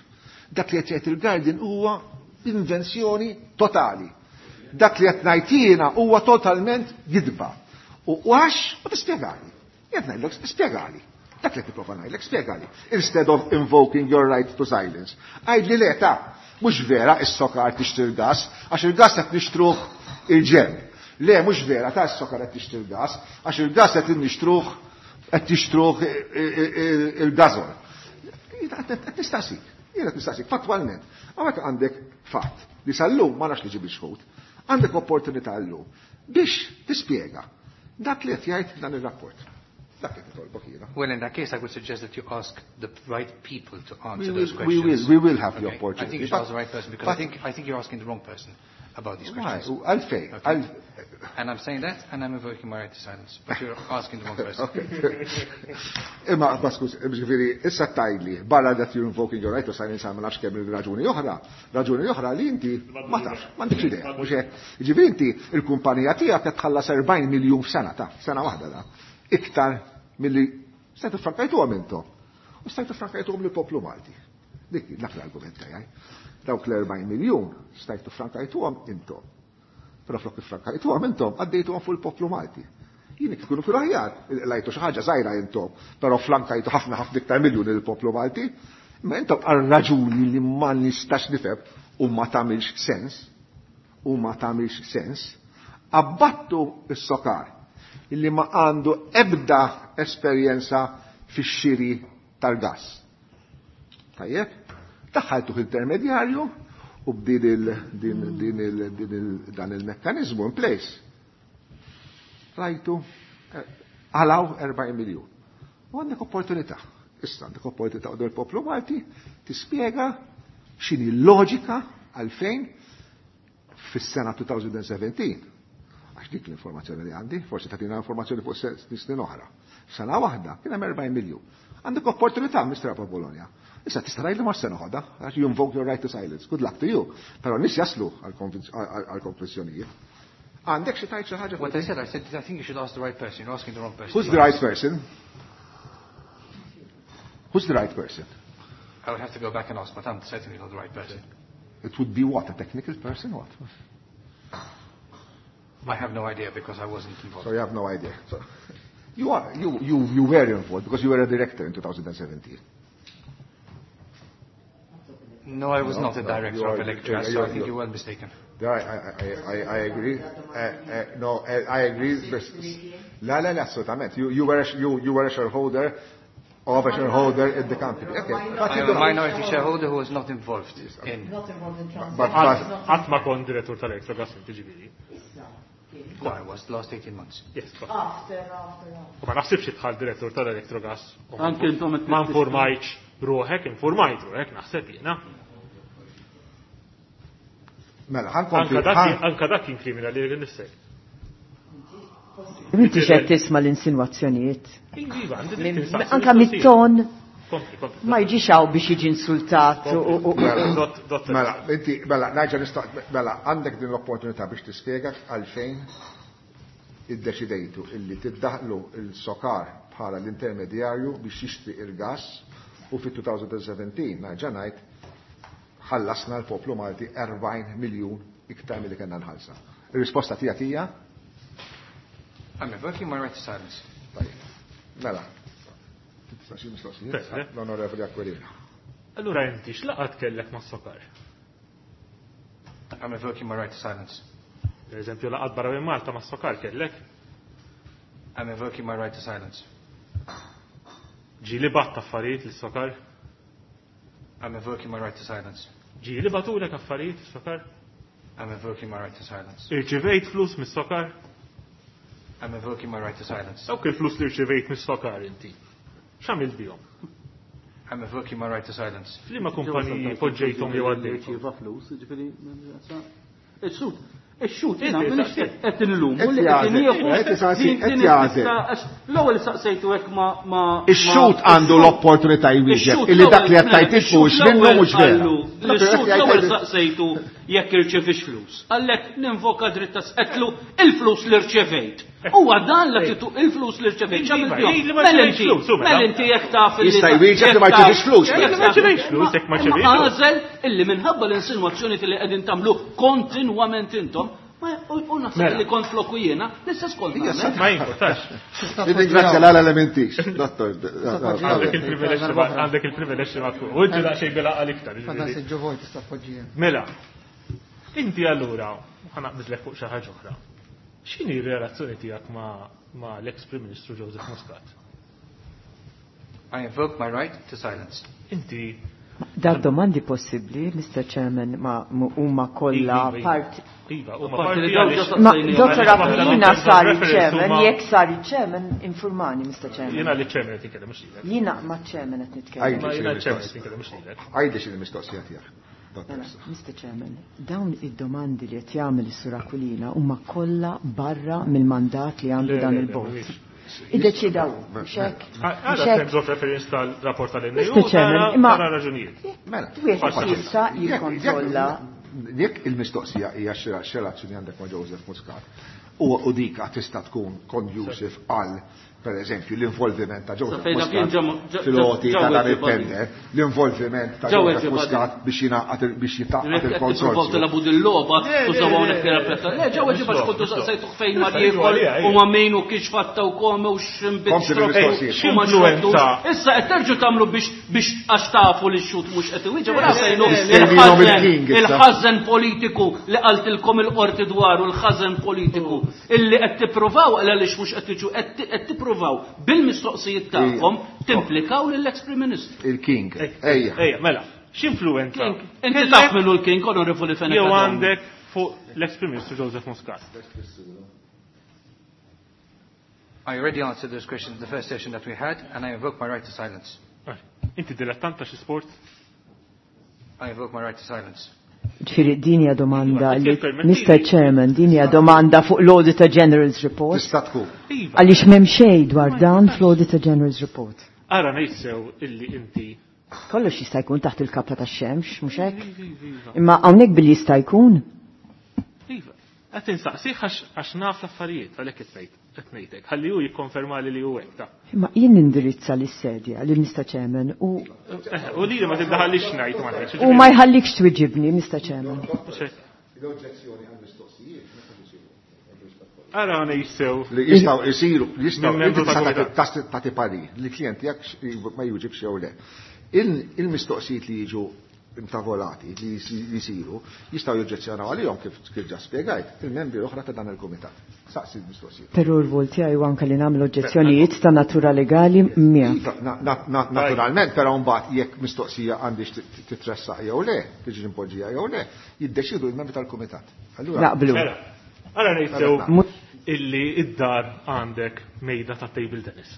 Dak li qed jgħid il-Guardian huwa invenzjoni totali. Dak li qed ngħid jiena huwa totalment gidba. U għax u tispjegali. Qed ngħidlek spjegali. Dak li qed nipprova ngħidlek spjegali. Instead of invoking your right to silence. Għidli le ta' mhux vera is-SOCAR tixtri l-gas, għax il-gas qed nixtruh il-ġenb. Le, mhux vera ta' is-SOCAR qed tixtri l-gas, għax il-gas qed nixtruh qed tixtruh il-Gasol. Qed nistaqsik, jiena qed nistaqsik fattwalment. Hawnhekk għandek fatt li sal-lum ma nafx li ġib xħut. Għandek opportunità llum biex tispjega dak li qed jgħid dan ir-rapport. Dak li nitolbok jiena. Well, in that case, I would suggest that you ask the right people to answer We those will, we questions. will, we will have the Okay. opportunity. I think you should But- ask the right person because but- I think, I think you're asking the wrong person about these Why? questions. U Għalfejn, Okay. għal- And I'm saying that, and I'm invoking my right to silence. But you're asking the wrong person. Okay. Imma, ma skuż, ġifieri, issa tgħidli, barra that you're invoking your right to silence, ma nafx kemm il-raġuni oħra, raġuni oħra li inti ma tafx, m'għandekx idea, mhux hekk. Ġifieri inti il-kumpanija tiegħek qed tħallas erbgħin miljun f'sena ta' sena waħda da. Iktar milli stajtu frankajtuhom intom. U stajtu frankajtuhom lill-poplu Malti. Dik dak l-argument tiegħi. Dawk l-erbgħin miljun stajtu frankajtuhom intom. Però flok frankajtuhom intom, għaddejtuhom fuq il-poplu Malti. Jien tkunu fil-aħjar, lajtu xi ħaġa żgħira intom, però flankajtu ħafna ħafna iktar miljun il-poplu Malti. Ma intom għal raġuni li ma nistax nifhem u ma tagħmilx sens, u ma tagħmilx sens, abbattu s-SOCAR illi ma għandu ebda esperjenza fix-xiri tal-gas. Tajjeb, daħħaltu intermedjarju u b'din il, din, din il, din il, dan il-mekkanizmu in place. Rajtu, eh, għalaw erbgħin miljun. U għandek opportunità. Issa għandek opportunità u il-poplu Malti tispjega x'inhi l-loġika għalfejn fis-sena twenty seventeen. Għax dik l-informazzjoni li għandi, forsi tagħtina informazzjoni fuq snin oħra. Sena waħda kien hemm erbgħin miljun. Għandek opportunità, Mister Apap Bologna. Issa tista' tgħid li ma se noħodha, għax you invoke your right to silence. Good luck to you. Però nies jaslu għal-konklużjonijiet. Għandek xi tgħid xi ħaġa? What I said, I said, I think you should ask the right person. You're asking the wrong person. Who's the right person? Who's the right person? I would have to go back and ask, but I'm certainly not the right person. It would be what? A technical person? What? I have no idea because I wasn't involved. So you have no idea. So you are you you you were involved because you were a director in twenty seventeen. No, I was not a director of Electrogas, so I think you're well mistaken. I, I, I, I agree. Uh, uh, no, I agree. La, la, la, assolutament. You, you, were a, you, you were a shareholder of a shareholder in the company. Okay. I am a minority shareholder who was not involved in. Not involved in transactions. Qatt ma kont direttur tal-Electrogas inti ġifieri. No, I was the last eighteen months. Yes. After, after, after. U ma naħsibx idħal direttur tal-Electrogas. Anke intom ma informajtx ruħek, informajt ruħek, naħseb jiena. Mela, ħankompli. Anka dak kien kriminali li nifsek. Inti xed tisma' l-insinwazzjonijiet. Iva, Anka mit-ton ma jiġix hawn biex jiġi insultat. Mela, inti, mela, nerġa' nista' mela, għandek din l-opportunità biex tispjega għalfejn iddeċidejtu illi tiddaħlu il-SOCAR bħala l-intermedjarju biex jixtri il-gas u fit-twenty seventeen nerġa' ngħid ħallasna l-poplu Malti erbgħin miljun iktar milli kellna nħallsa. Ir-risposta tiegħek hija? I'm invoking my right to silence. Tajjeb. Mela. Tistaqsi mistoqsijiet? L-Onorevoli Aquilina. Allura inti x'laqgħat kellek mas-SOCAR? I'm invoking my right to silence. Per eżempju, laqgħat barra minn Malta mas-SOCAR kellek? I'm invoking my right to silence. Ġieli batt affarijiet lis-SOCAR? I'm invoking my right to silence. Ġieli batulek affarijiet lis-SOCAR? I'm invoking my right to silence. Irċivejt flus mis-SOCAR? I'm invoking my right to silence. Dawk il-flus li rċivejt mis-SOCAR inti. X'għamilt bihom? I'm invoking my right to silence. F'liema kumpaniji poġġejthom jew għaddejthom? Irċieva flus, jiġifieri Ix-xut, ix-xut jiena m'iniex qed inlumu li qed nieħu. L-ewwel saqsejtu hekk ma ma Ix-xut għandu l-opportunità jwieġeb illi dak li qed tgħid mhux minnu mhux vera. Ix-xut l-ewwel saqsejtu jekk irċevix flus. Għalhekk ninvoka dritt ta' qedlu il-flus li rċevejt. Huwa dan li titu il-flus li rċevejt. Mela inti, mela inti jekk taf li jista' jwieġeb li ma rċevix flus. Ma rċevejx flus jekk ma rċevejx. Għażel illi minħabba l-insinwazzjoni li qegħdin tagħmlu kontinwament intom, u naħseb li kont floku jiena, l-istess kont. Ma jimportax. Nirringrazzja l elementix, dottor. Għandek il-privileġġ għandek il-privileġġ ma tkun. U inti daqsxejn bil-għaqal iktar. Mela, inti allura ħanaqbiżlek fuq xi ħaġa oħra. X'inhi r-relazzjoni tiegħek ma' l-ex Prim Ministru Joseph Muscat? I invoke my right to silence. Inti Dar domandi possibbli, Mister Chairman, ma huma kollha parti. Iva, huma parti. Ma Dottor Aquilina sar il-Chairman, jekk sar il-Chairman, informani, Mister Chairman. Jiena li Chairman qed nitkellem mhux lilek. Jiena ma' Chairman qed nitkellem. Jiena Chairman qed nitkellem mhux lilek. Għidli x'inhi mistoqsija tiegħek. Mister Chairman, dawn id-domandi li qed jagħmel is-Sur Aquilina huma kollha barra mill-mandat li għandu dan il-bord. Iddeċida hu, mhux hekk? Għada terms of reference tal-rapport tal-N U, Mister Chairman, imma raġunijiet. Mela, wieħed jista' jikkontrolla. Jekk il-mistoqsija hija x'relazzjoni għandek ma' Joseph Muscat, u dik tista' tkun conducive għal per eżempju l-involviment ta' Joseph Muscat fil-għoti ta' dan il-tender, l-involviment ta' Joseph Muscat biex jingħaqad biex jitgħaqqad il-konsorzju. Tilgħabu dil-logħba tużaw hawnhekk tirrepeta. Le ġew ġiba x'kontu saqsejtu fejn ma jiekol u ma min u kiex fatta u kome u x'inbit. X'influenza. Issa qed terġgħu tagħmlu biex biex għax tafu li x-xut mhux qed iwieġeb wara fejnu il-ħażen politiku li qaltilkom il-qorti dwaru l-ħażen politiku illi qed tippruvaw għaliex mhux qed tiġu qed tippruvaw bil-mistoqsijiet tagħkom timplikaw lill-ex Prim Ministru. Il-King. Ejja. Ejja, mela, x'influenza? Inti taf minnu l-King, Onorevoli Fenech. Jew għandek fuq l-ex Prim Ministru Joseph Muscat. I already answered those questions in the first session that we had, and I invoke my right to silence. Inti dilettant ta' xi sport? I invoke my right to silence. Ġifieri din hija domanda li Mister Chairman, din hija domanda fuq l-Auditor General's Report. Tista' tkun. Għaliex m'hemm xejn dwar dan fl-Auditor General's Report. Ara ngħid sew illi inti Kollox jista' jkun taħt il-kappa tax-xemx, mhux hekk? Imma hawnhekk billi jista' jkun. Iva, qed insaqsih għax naf l-affarijiet għalhekk qed ngħid qed ngħidlek. Ħalli hu jikkonferma li li hu hekk ta. Imma jien nindirizza lis-sedja lil Mister Chairman u U li ma tiddaħallix ngħid ma ngħidx. U ma jħallikx twiġibni, Mister Chairman. L-oġġezzjoni għal mistoqsijiet meta isiru. Ara ngħid Li jistgħu jsiru, jistgħu tagħti parir li klient tiegħek ma jwieġibx jew le. Il-mistoqsijiet li jiġu intavolati li jisiru, jistgħu joġġezzjonaw għalihom kif kif ġa spjegajt il-membri l-oħra ta' dan il-kumitat. Saqsi l-mistoqsija. Però r-rwol tiegħi huwa anke li nagħmel oġġezzjonijiet ta' natura legali miegħek. Naturalment, però mbagħad jekk mistoqsija għandix titressaq jew le, tiġi impoġġija jew le, jiddeċidu l-membri tal-kumitat. Allura naqblu. Ara ngħid sew illi id-dar għandek mejda ta' table tennis.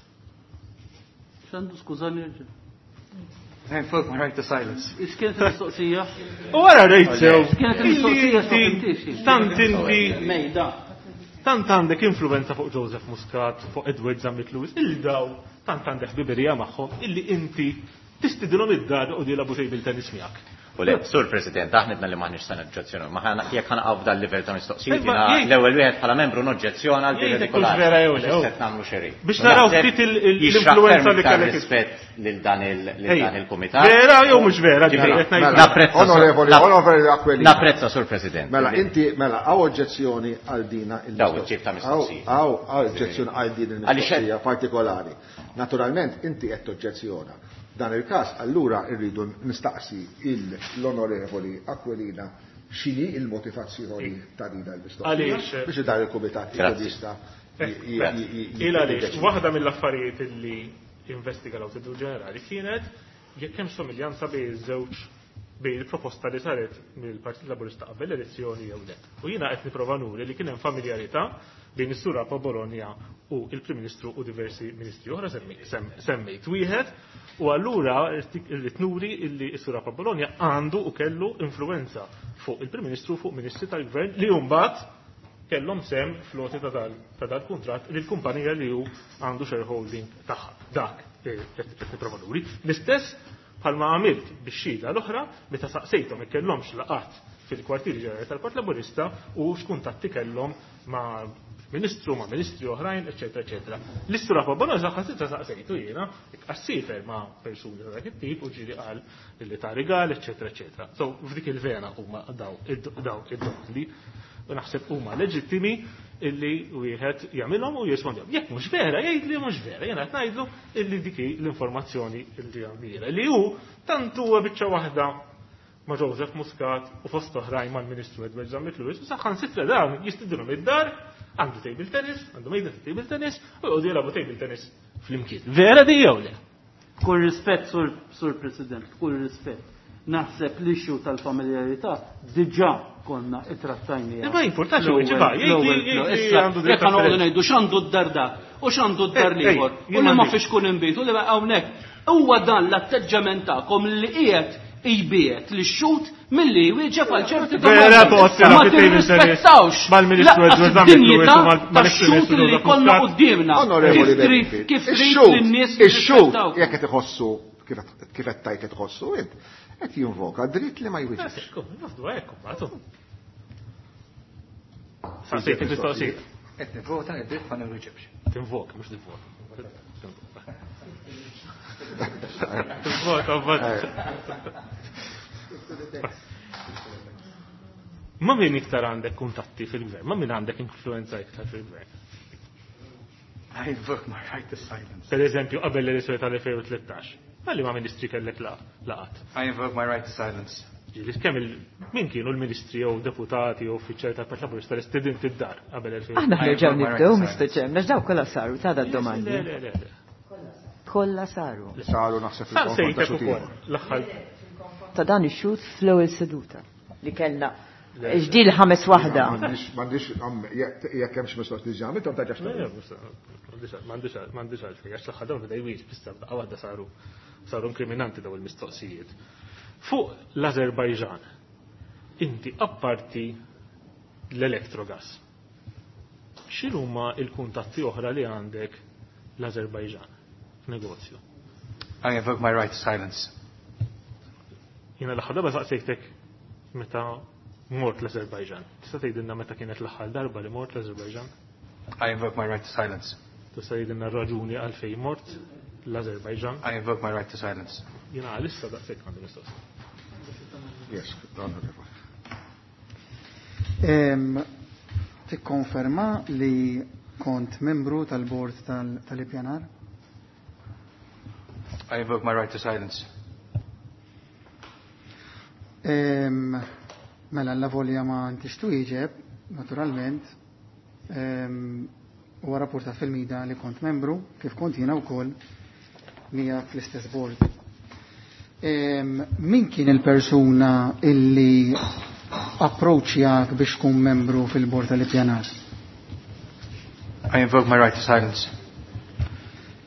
X'għandu skużani erġa'. I invoke my right to silence. X'kienet il-mistoqsija? U għara rejt sew. X'kienet il-mistoqsija x'ma Tant inti mejda. Tant għandek influenza fuq Joseph Muscat, fuq Edward Zammit Lewis, illi daw tant għandek ħbiberija magħhom illi inti tistidilhom id-dar u jilagħbu table tennis miegħek. U le, Sur President, aħna li maħniex se noġġezzjonaw, ma ħana jekk ħanaqgħu f'dan livell ta' mistoqsijiet, jiena l-ewwel wieħed bħala membru noġġezzjona għal din vera jew le. Qed nagħmlu xeri. Biex naraw ftit l-influenza li kellek rispett lil dan il-kumitat. Vera jew mhux vera, Napprezza. Onorevoli, onorevoli Aquilina. Napprezza, Sur President. Mela, inti, mela, hawn oġġezzjoni għal dina il-Daw it-tip ta' mistoqsijiet. Hawn oġġezzjoni għal din il-mistoqsija partikolari. Naturalment, inti qed toġġezzjona. Dan il-każ allura rridu nistaqsi l-onorevoli Aquilina x'inhi il-motivazzjoni ta' din il-mistoqsija biex dan il-kumitat jista' Il għaliex waħda mill-affarijiet illi investiga l-Awditur Ġenerali kienet jekk hemm somiljanza bejn iż-żewġ bejn il-proposta li saret mill-Partit Laburista qabel l-elezzjoni jew le. U jiena qed nipprova nuri li kien hemm familjarità bejn is-Sur Apap Bologna u il-Prim Ministru u diversi ministri oħra semmejt wieħed, u allura rrid nuri illi s-Sur Apap Bologna għandu u kellu influenza fuq il-Prim Ministru fuq ministri tal-Gvern li mbagħad kellhom sem floti ta' dal-kuntratt lil kumpanija li hu għandu shareholding tagħha. Dak qed nipprova nuri. L-istess bħalma għamilt bix-xhieda l-oħra meta saqsejthom ikkellhomx laqat fil-kwartieri ġenerali tal-Partit Laburista u x'kuntatti kellhom ma' ministru, ma' ministri oħrajn, eċetera, eċetera. L-istura Apap Bologna saħansitra saqsejtu jiena għas-sifer ma' persuni ta' dak it-tip u ġieli qal li ta' rigal, eċetera, eċetera. So f'dik il-vena huma daw id-domandi u naħseb huma leġittimi illi wieħed jagħmilhom u jirrispondihom. Jekk mhux vera, jgħid li mhux vera, jiena qed ngħidlu illi dik l-informazzjoni li għandira. Li hu tant huwa biċċa waħda ma' Joseph Muscat u fost oħrajn mal-Ministru Edward Zammit Lewis u saħansitra dawn jistidilhom id-dar, għandu table tennis, għandu mejda ta' table tennis u jqogħdu jilagħbu table tennis flimkien. Vera di jew le? Kull rispett, Sur, Sur President, kull rispett. Naħseb l-issue tal-familjarità diġà konna ittrattajniha. Ma jimportax u ġiba, jgħid li għandu ngħidu x'għandu d-dar dak u x'għandu d-dar l-ieħor u li ma fiex kun inbit u li hawnhekk. Huwa dan l-atteġġament tagħkom li qiegħed jbiet li x-xut milli jwieġeb għal ċerti domandi. Ma tirrispettawx id-dinjità tax-xut li jkollna quddiemna. Kif trid lin-nies ix-xut jekk qed iħossu kif qed tgħid qed iħossu int, qed jinvoka dritt li ma jwieġibx. Saqsejt il-mistoqsija. Qed nivvota id-dritt ma nwieġibx. Tinvoka, mhux nivvota. Tinvoka, mbagħad. Ma min iktar għandek kuntatti fil-gvern? Ma min għandek influenza iktar fil-gvern? I invoke my right to silence. Per eżempju, qabel l-elezzjoni tal-elfejn u tlettax. Għalli ma ministri kellek laqat? I invoke my right to silence. Ġieli, kemm il-, min kienu l-ministri jew deputati jew uffiċjali tal-Partit Laburista li stedint id-dar qabel elfejn u Aħna I ħnerġgħu invoke my nibdew, right to Mister silence. Chairman, għax daw kollha saru ta' da domandi. Le, le, le, le. Kollha saru. Saru naħseb fil-konfront Saqsejtek ta' xut ukoll ieħor. l-aħħar. Ta' dan ix-xut fl-ewwel seduta li kellna. Ġdil ħames waħda. M'għandix, m'għandix, jekk, jekk hemm xi mistoqsijiet li ġamilthom ta' ġax Le, m'għandix, m'għandix, m'għandix għalfejn, għax l-aħħar dawn beda jwieġeb, issa bdaqa waħda saru, saru inkriminanti daw il-mistoqsijiet. Fuq l-Azerbajġan, inti apparti l-Electrogas, x'inhuma l-kuntatti oħra li għandek l-Azerbajġan f'negozju? I invoke my right to silence. Jiena l-aħħar darba saqsejtek meta mort l-Azerbajġan. Tista' tgħidilna meta kienet l-aħħar darba li mort l-Azerbajġan? I invoke my right to silence. Tista' tgħidilna r-raġuni għalfejn mort l-Azerbajġan? I invoke my right to silence. Jiena għalissa daqshekk għandi mistoqsija. Yes, onorevoli. Em, tikkonferma li kont membru tal-bord tal-, tal-ippjanar? I invoke my right to silence. Ehm, mela l-lavolja ma intix twieġeb, naturalment, ehm, huwa rapportat fil-mida li kont membru, kif kont jiena wkoll miegħek fl-istess board. Ehm, min kien il-persuna illi approċċjak biex tkun membru fil-bord tal-ippjanar? I invoke my right to silence.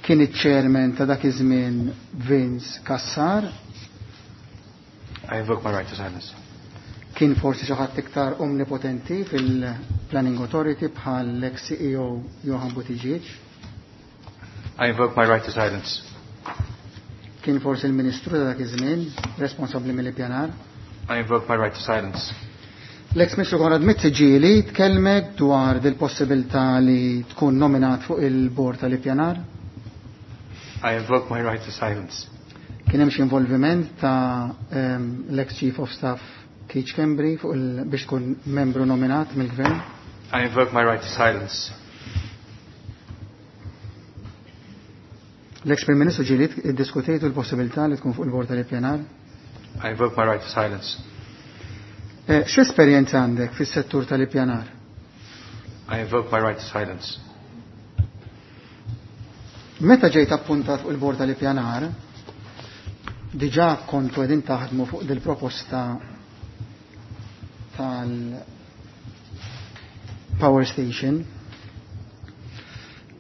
Kien iċ-chairman ta' dak iż-żmien Vince Cassar, I invoke my right to silence. kien forsi xi ħadd iktar omnipotenti fil-Planning Authority bħal l-ex-C E O Johan Buttigieg, I invoke my right to silence. Kien forsi il-Ministru ta' dak iż-żmien responsabbli mill-ippjanar. I invoke my right to silence. L-ex-Ministru Konrad Mizzi ġieli tkellmek dwar dil-possibilità li tkun nominat fuq il-bord tal-ippjanar? I invoke my right to silence. Kien hemm xi involviment ta' ehm, l-ex-Chief of Staff Keith Schembri fuq il biex tkun membru nominat mill-Gvern? I invoke my right to silence. L-ex-Prim Ministru ġieli iddiskutejtu l-possibilità li tkun fuq il-bord tal-ippjanar? I invoke my right to silence. Eh, X'esperjenza għandek fis-settur tal-ippjanar? I invoke my right to silence. Meta ġejt appuntat fuq il-bord tal-ippjanar, diġà kontu qegħdin taħdmu fuq dil-proposta tal-power station.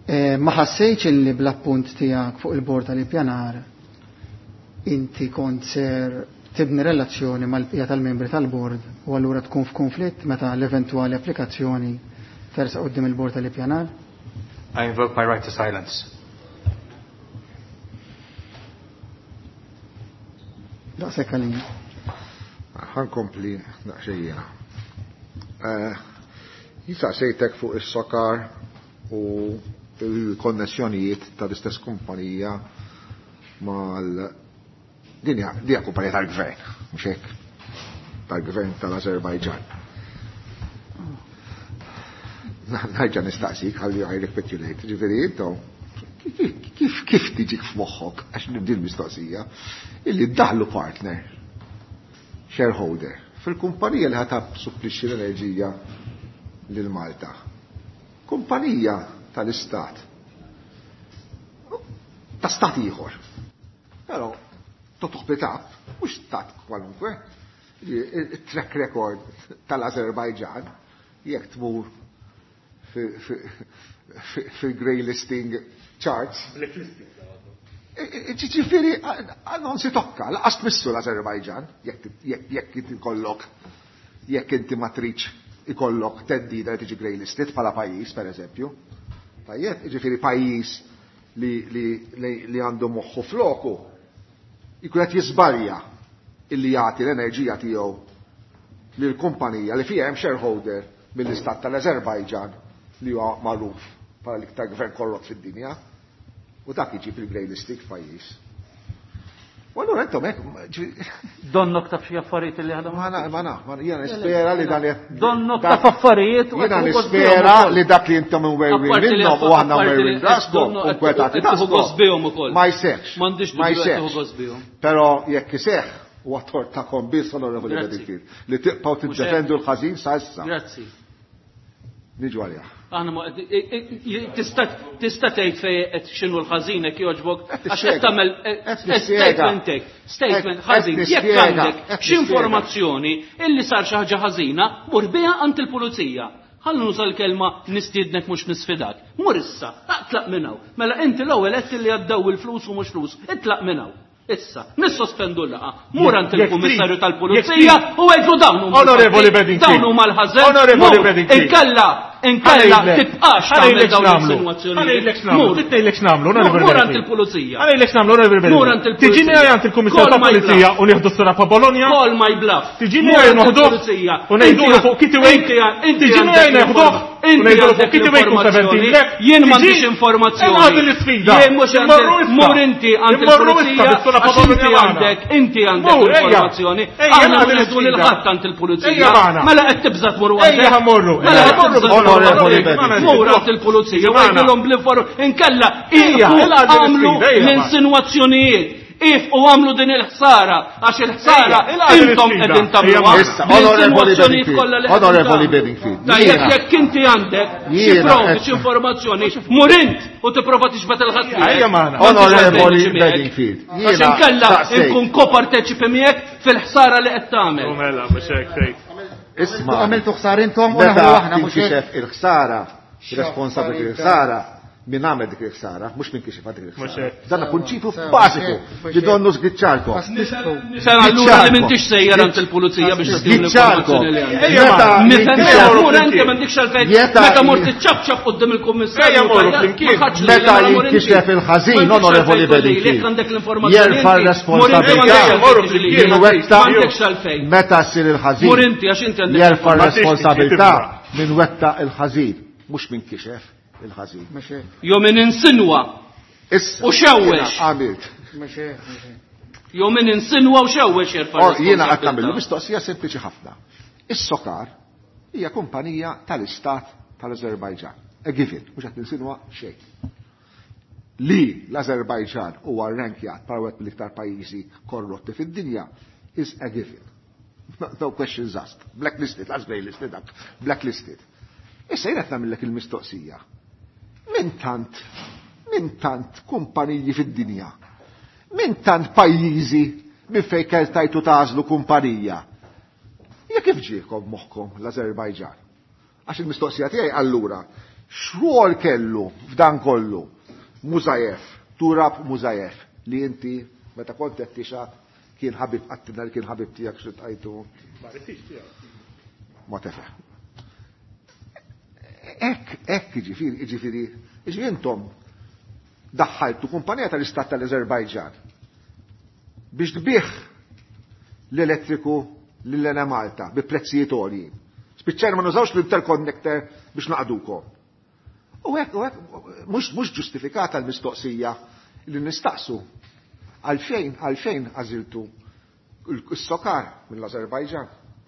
Eh, ma ħassejtx illi bl-appunt tiegħek fuq il-bord tal-ippjanar inti kont ser tibni relazzjoni mal-bqija tal-membri tal-bord u allura tkun f'konflitt meta l-eventwali applikazzjoni tersaq quddiem il-bord tal-ippjanar? I invoke my right to silence. Daqshekk għalina. Ħa nkompli daqsxejn jiena. Jien saqsejtek fuq is-SOCAR u il-konnessjonijiet tal-istess kumpanija mal din hija din hija kumpanija tal-gvern, mhux hekk? Tal-gvern tal-Azerbajġan. Nerġa' nistaqsik ħalli I recapitulate, ġifieri intom kif kif tiġik f'moħħok, għax nibdi l-mistoqsija, illi ddaħlu partner, shareholder, fil-kumpanija li ħa tissupplixxi l-enerġija lil Malta. Kumpanija tal-istat. Ta' stat ieħor. Però totoħbit up, mhux stat kwalunkwe. Il-track record tal-Azerbajġan, jekk tmur fil-grey listing charts. Ġifieri, non si tokka, lanqas tmissu l-Azerbajġan, jekk inti kollok, jekk inti ma tridx ikollok theddida li tiġi grey listed bħala pajjiż, per eżempju. Tajjeb, ġifieri pajjiż li, li, li, li għandu moħħu floku, jkun qed jiżbalja illi jagħti l-enerġija tiegħu lil kumpanija li fiha hemm shareholder mill-istat tal-Azerbajġan li huwa magħruf bħala l-iktar gvern korrott fid-dinja. U dak jiġi fil-grey listing f'pajjiż. U allura intom hekk Donnok taf xi affarijiet li ħadhom. Ma na, ma na, ma jiena nispera li dan Donnok taf affarijiet u Jiena qed tieħu nispera gost li dak li intom imwerwin Apparti li minnhom u aħna apparti li mwerwin raskom donnu u nkwetati qed tieħu raskom. gost bihom ukoll. Ma jseħħx. M'għandix Ma dubju qed tieħu jseħħx. gost bihom. Però jekk iseħħ huwa tort tagħkom biss, Onorevoli Grazzi. Bedingfield, li tibqgħu Mhux tiddefendu hekk. l-ħażin sa issa. Grazzi. Niġu għalija. Aħna ma tista' tista' tgħid fejn qed x'inhu l-ħażin hekk jogħġbok Qed għax qed tispjega. tagħmel Qed nispjega. statement hekk, statement Qed ħażin. Jekk nispjega. għandek Qed xi nispjega. informazzjoni illi sar xi ħaġa ħażina, mur biha għand il-pulizija. Ħalli nuża l-kelma nistiednek mhux nisfidak. Mur issa, aqtlaq minn hawn. Mela inti l-ewwel qed li għaddew il-flus u mhux flus, itlaq minn hawn. Issa, nissospendu l-laqgħa. Mur għand Jekk il-Kummissarju trid, tal-Pulizija jekk u għedlu dawn huma Onorevoli l-fatti, Bedingfield. dawn huma l-ħażen. Onorevoli Mur, Bedingfield. Inkella, inkella Ħa ngħidlek. tibqax Ħa tagħmel ngħidlek dawn x'nagħmlu. l-insinuazzjonijiet. Ħa ngħidlek x'nagħmlu. Mur. Trid ngħidlek x'nagħmlu, Onorevoli Mur għand Bedingfield. il-Pulizija. Ħa ngħidlek x'nagħmlu, Onorevoli Mur Bedingfield. għand il-Pulizija. Tiġini għand il-Kummissarju Call my tal-Pulizija bluff. u nieħdu s-sura pa' Bologna. Call my bluff. Tiġini Mur għaj għand noħduh il-Pulizija. u ngħidulu Inti- fuq Kitty Wake. inti- inti Tiġini għandek għaj neħduh l-informa- u ngħidulu fuq Inti Kitty Wake u għandek seventeen black. Jien m'għandix Tiġi- informazzjoni. Imma l-isfida. Jien mhux Immorru għandek- issa. Mur inti għand Immorru issa il-Pulizija bis-sura pa' għax inti Bologna magħna. għandek inti għandek Mur, ejja. informazzjoni. Ejja, Aħna nagħmel ma ngħidu lil l-isfida. ħadd għand il-Pulizija. Ejja magħna. Mela qed tibża' tmur Ejja waħdek. ħa mmorru. Mela Ejja qed ħa mmorru. tibża' tmur Onorevoli waħdek. Bedingfield. Mur għand il-Pulizija u Magħna. għidilhom bl-inform inkella Ejja, iqfu il-għaddi għamlu l-isfida, ejja, l-insinuazzjonijiet. If u għamlu din il-ħsara, għax il-ħsara intom qegħdin tagħmluha. Onorevoli Bedingfield. Tajjeb jekk inti għandek xi provi, xi informazzjoni, mur int u tipprova tixbet il-ħadd. Onorevoli Bedingfield. Għax inkella nkun koparteċipi miegħek fil-ħsara li qed tagħmel. Mela, mhux hekk tgħid. Isma'. Għamiltu ħsar intom u Meta aħna mhux tinkixef il-ħsara, responsabbli il-ħsara, min għamel dik il-ħsara, mhux min kixef dik il-ħsara. Dan prinċipju bażiku li donnu żgiċċarkom. Sena allura li m'intix sejjer għand il-pulizija biex tagħtihom l-informazzjoni li għandek. Meta m'għandekx għalfejn, meta mort iċċabċab quddiem il-kummissarju. Meta jinkixef il-ħażin, onorevoli Bedingfield, jerfa' r-responsabilità. Meta ssir il-ħażin, jerfa' r-responsabilità min wetta il-ħażin, mhux min kixef il-ħażin. Jo min insinwa u xewwex. Għamilt. Jo min insinwa u xewwex jerfa'. Jiena qed nagħmillu mistoqsija sempliċi ħafna. Is-SOCAR hija kumpanija tal-Istat tal-Azerbajġan. A given, mhux qed ninsinwa xejn. Li l-Azerbajġan huwa rrankjat bħala wieħed mill-iktar pajjiżi korrotti fid-dinja is a given. No questions asked. Blacklisted, las greylisted, blacklisted. Issa jiena qed nagħmellek il-mistoqsija. Min tant, min tant kumpaniji fid-dinja, min tant pajjiżi minn fejn kell tajtu tażlu kumpanija. Ja kif ġiekom moħħkom l-Azerbajġan? Għax il-mistoqsija tiegħi allura, x'rwol kellu f'dan kollu Musayev, Turab Musayev, li inti meta kont qed tixgħat kien ħabib qattilna li kien ħabib tiegħek xi tqajtu. Ma tefeh. Ek, ek, ġifiri, ġifiri, ġifiri intom daħħaltu kumpanija tal-Istat tal-Azerbajġan biex tbih l-elettriku l-Enemalta bi prezzijiet għoljin. Spiċċajna ma nużawx l-interconnector biex naqdukom. U hekk, u hekk, mhux mhux ġustifikata l-mistoqsija li nistaqsu. Għalfejn, għalfejn għażiltu s-SOCAR mill-Azerbajġan.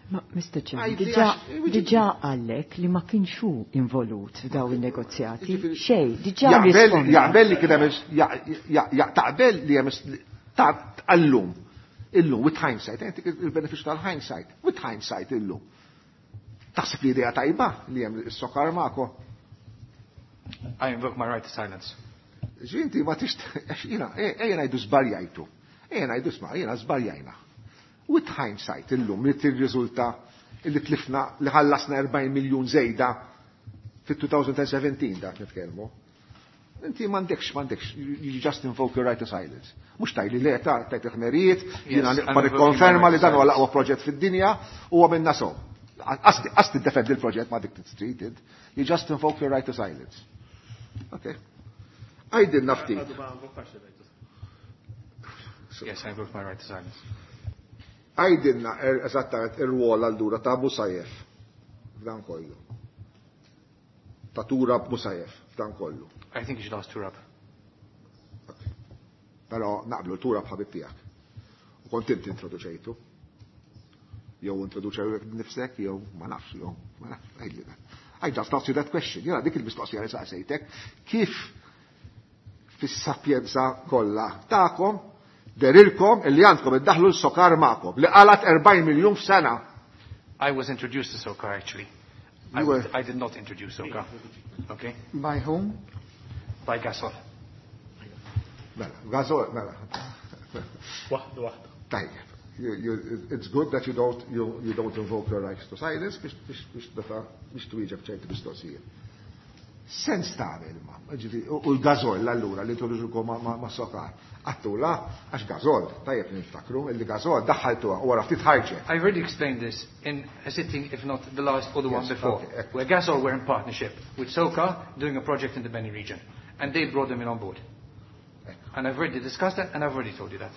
Ma, Mister Chairman, diġà għallek li ma kienx hu involut f'daw il-negozjati. Xej, diġà risponda. Jaqbel li kien hemm taqbel li hemm taqallum. Illum, with hindsight, il-benefiċċju tal-hindsight, with hindsight illum. Taħseb li idea tajba li hemm is-SOCAR magħkom? I invoke my right to silence. Ġinti ma tix, jiena, ejja ngħidu żbaljajtu. Ejja ngħidu sma, jiena żbaljajna. With hindsight illum li tirriżulta li tlifna li ħallasna erbgħin miljun żejda fit-twenty seventeen dak nitkellmu. Inti m'għandekx, m'għandekx, you just invoke your right to silence. Mhux tajli le ta' tajt il-ħmerijiet, jiena nibqa' nikkonferma li dan huwa l-aqwa proġett fid-dinja u għamilna so. Qas tiddefendi l-proġett ma dik street, you just invoke your right to silence. Okay. Għajdilna ftit. Yes, I invoke my right to silence. Għajdilna eżattament ir-rwol allura ta' Musayev f'dan kollu. Ta' Turab Musayev f'dan kollu. I think you should ask Turab. Okay. Però naqblu Turab ħabib tiegħek. U kont inti introduċejtu. Jew introduċew nifsek, jew ma nafx, jew ma nafx, għajdilna. I just asked you that question. Jena dik il-mistoqsija li saqsejtek, kif fis-sapjenza kollha tagħkom derilkom illi għandkom iddaħlu l-SOCAR magħkom li qalat erbgħin miljun f'sena. I was introduced to SOCAR actually. I, You were I did not introduce SOCAR. Okay? By whom? By Gasol. Mela, Gasol, mela. Waħda, waħda. Tajjeb. You, you, it's good that you don't, you, you don't invoke your rights to silence biex, biex, biex, biex twieġeb ċerti mistoqsijiet. Sens tagħmel ma, ġifieri, u l-Gasol allura li introduċukom ma, ma, ma SOCAR. Għattula, għax Gasol, tajjeb niftakru, illi Gasol daħħaltuha u wara ftit ħarġet. I already explained this in a sitting, if not the last or the one Yes, before, okay. where Gasol were in partnership with SOCAR doing a project in the Beni region, and they brought them in on board. And I've already discussed that, and I've already told you that.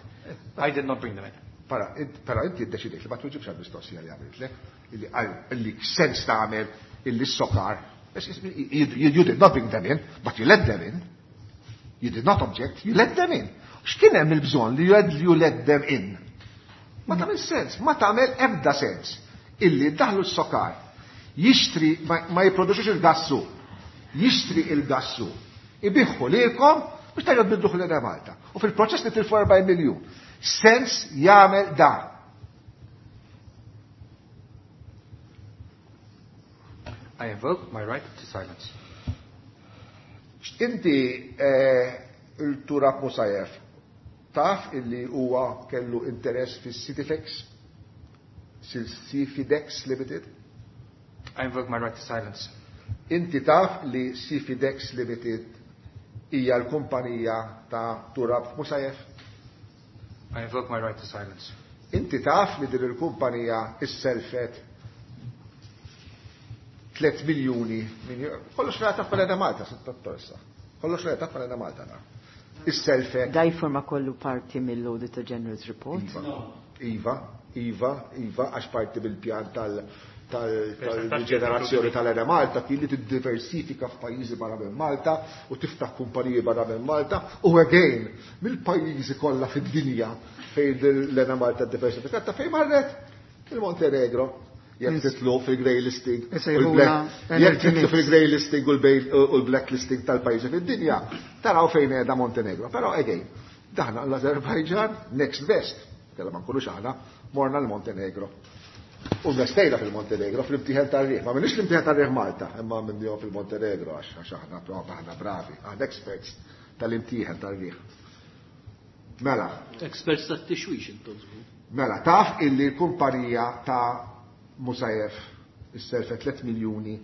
I did not bring them in. Para, pero inti ddeċidejt li ma tweġibx għal-mistoqsija li għamiltlek, illi illi sens tagħmel illi s-SOCAR. You, you, you did not bring them in, but you let them in. You did not object, you let them in. X'kien hemm il-bżonn li you let them in? Ma tagħmel sens, ma tagħmel ebda sens illi daħlu s-SOCAR jixtri ma, ma jipproduċux il-gassu, jixtri il-gassu, ibiħħu lilkom biex tajjeb bidduh lil Malta. U fil-proċess nitilfu erbgħin miljun. Sens jagħmel dan. I invoke my right to silence. Inti il-Turab Musayev taf illi huwa kellu interess fis-Cityfex, Cifidex Limited? I invoke my right to silence. Inti taf li Cifidex Limited hija l-kumpanija ta' Turab Musayev? I invoke my right to silence. Inti taf li din il-kumpanija isselfet tliet miljuni kollox rata f'Elena Malta, sitta Kollox rata f'Elena Malta na. Is-selfet. Da jiforma kollu parti mill-Auditor General's Report? Iva, iva, iva, iva, għax parti mill-pjan tal- tal-ġenerazzjoni tal-Ena Malta kien li tiddiversifika f'pajjiżi barra minn Malta u tiftaħ kumpaniji barra minn Malta u again mill-pajjiżi kollha fid-dinja fejn l-Ena Malta diversifikat ta' fejn marret il-Montenegro. Jekk titlu fil-grey listing, jekk titlu fil-grey listing u l-black listing tal-pajjiżi fid-dinja, taraw fejn qiegħda Montenegro. Però again, daħna l-Azerbajġan next best, kellha ma nkunux aħna, morna l-Montenegro. U investejna fil-Montenegro fl-imtieħen tar-riħ. Ma minix l-imtieħen tar-riħ Malta, imma minnihom fil-Montenegro għax aħna aħna bravi, aħna experts tal-imtieħen tar-riħ. Mela. Experts tat-tixwix intom. Mela, taf illi l-kumpanija ta' Musayev isselfet tliet miljuni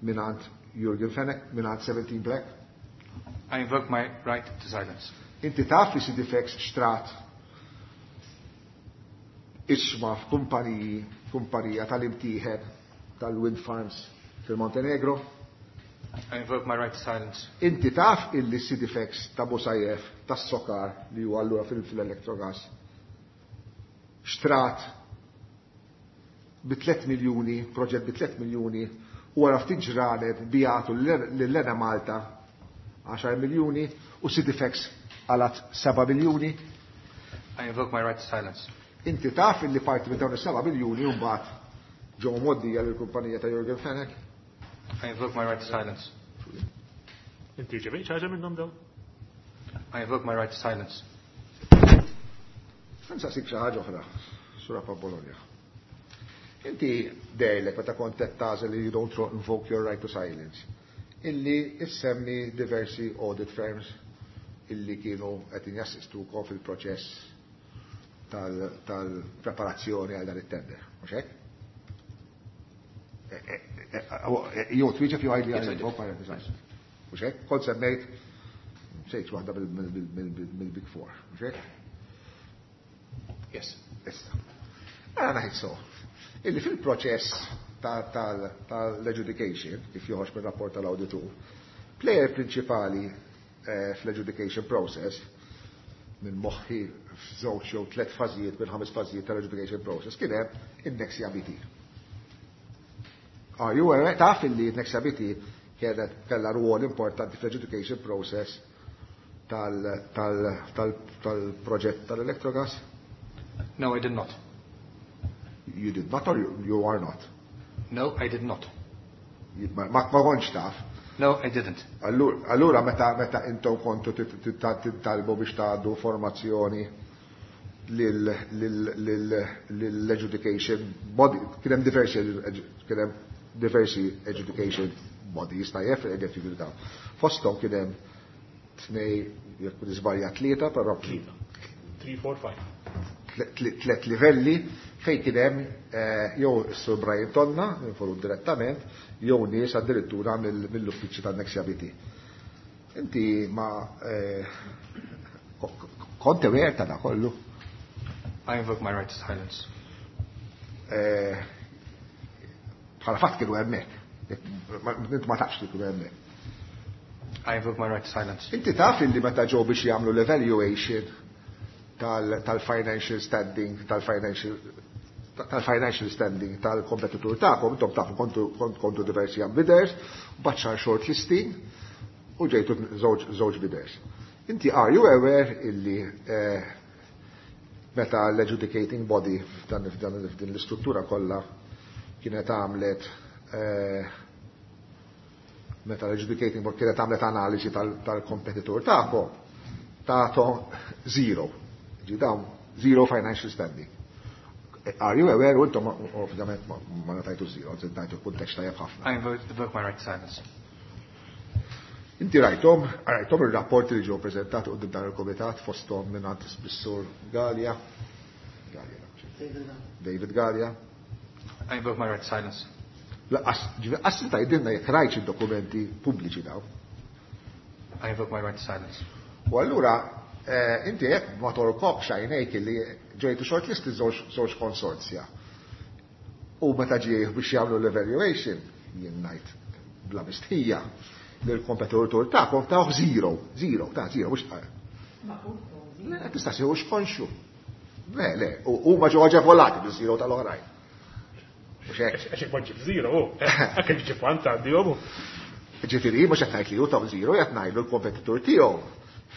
minant Jurgen Fenech, minant seventeen Black. I invoke my right to silence. Inti taf li Sidifex xtrat isma f'kumpaniji, kumpanija tal-imtieħen tal-wind farms fil-Montenegro. I invoke my right to silence. Inti taf illi Sidifex ta' Musayev tas-Sokar li huwa allura fil-Electrogas xtrat bi tliet miljuni, proġett bi tliet miljuni, u wara ftit ġranet bijatu lil-Lena Malta għaxar miljuni u Sidifex għalat seba' miljuni. I invoke my right to silence. Inti taf illi parti minn dawn is-seba' miljuni u mbagħad ġew mgħoddija lill-kumpanija ta' Jurgen Fenech. I invoke my right to silence. Inti ġebejt ħaġa minnhom dawn? I invoke my right to silence. Nsaqsik xi ħaġa oħra, Sura Bologna. Inti dejlek meta kont qed tagħżel li you don't invoke your right to silence, illi issemmi diversi audit firms illi kienu qed jassistukom fil-proċess tal-preparazzjoni għal dan it-tender, mhux hekk? Jew twieġeb jew għidli għal invoke my right to silence. Mhux hekk? Kont semmejt sejt waħda mill-Big Four, mhux hekk? Yes. Issa. Ara ngħid so. Illi fil-proċess tal-adjudication, kif joħroġ mir-rapport tal-awditur, player prinċipali fl-adjudication process, minn moħħi f'żewġ jew tliet fażijiet minn ħames fażijiet tal-adjudication process, kien hemm in-Nexia B T. Are you aware taf illi n-Nexia B T kienet kellha rwol importanti fl-adjudication process tal-proġett tal-Electrogas? No, I did not. You did not or you, you are not? No, I did not. Ma, ma kontx taf? No, I didn't. Allura meta meta intom kontu titalbu biex tgħaddu formazzjoni lill-adjudication body, kien hemm diversi kien hemm diversi adjudication bodies tajjeb fil-adjudication. Fosthom kien hemm tnej jekk nisbarja tlieta, però tlieta. Three, four, five. Tlet livelli fejn kien hemm jew is-Sur Brian Tonna, involut direttament, jew nies addirittura mill-uffiċċju tan-Nexia B T. Inti ma kont aware ta' da kollu? I invoke my right to silence. Bħala fatt kienu hemmhekk. Inti ma tafx li kienu hemmhekk. I invoke my right to silence. Inti taf illi meta ġew biex jagħmlu l-evaluation tal-financial standing, tal-financial tal-financial standing tal-kompetitur tagħkom, intom tafu kontu diversi bidders, baċċar short listing u ġejtu żewġ bidders. Inti are you aware illi meta l-adjudicating body f'dan f'din l-istruttura kollha kienet għamlet meta l-adjudicating board kienet għamlet analiżi tal-kompetitur tagħkom, Tato zero. Ġi dawn zero financial standing. Are you aware, u intom ovvjament ma tajtu zero, tajtu kuntest tajjeb ħafna. I invoke my right to silence. Inti rajtom, rajtom il-rapporti li ġew preżentati quddiem dan il-komitat fosthom minn bis-sur Galea. Galea. David Galea. I invoke my right to silence. Lanqas tgħidilna jekk rajtx id-dokumenti pubbliċi daw. I invoke my right to silence. U allura inti jekk ma torkokx għajnejk li ġejtu shortlisted żewġ konsorzja. U meta ġie biex jagħmlu l-evaluation, jien ngħid bla mistħija, li l-kompetitur tagħkom tawh zero, zero, ta' zero, mhux Le, tista' sejħu xkonxu. Le, le, huma ġew aġevolati bil-zero tal-oħrajn. Mhux hekk. Għax ma ġib zero, hekk ġib għand għandihom. Ġifieri, mhux qed ngħid li hu taw zero, qed ngħidlu l-kompetitur tiegħu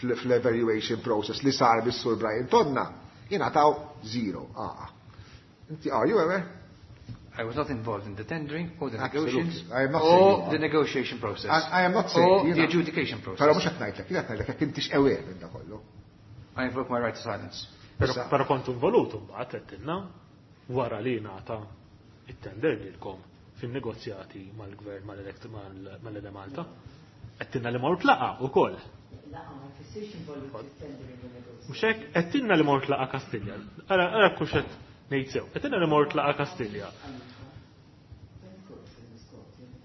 fl-evaluation process li sar bis-Sur Brian Tonna, jingħataw zero. Ah. Inti are you aware? I was not involved in the tendering or the Absolutely. negotiations I am not saying or you are. the negotiation process. I, I am not saying or you the know. adjudication process. Però mhux qed ngħidlek, jien qed ngħidlek jekk intix aware minn da kollu. I invoke my right to silence. Però Issa- però kontu involut mbagħad għedtilna wara li ngħata it-tender lilkom fin-negozjati mal-gvern mal-Enemalta. Għedtilna li mort laqgħa wkoll. Mhux hekk għedtilna li mort laqgħa Kastilja. Ara ara kux qed ngħid sew. Għedtilna li mort laqgħa Kastilja.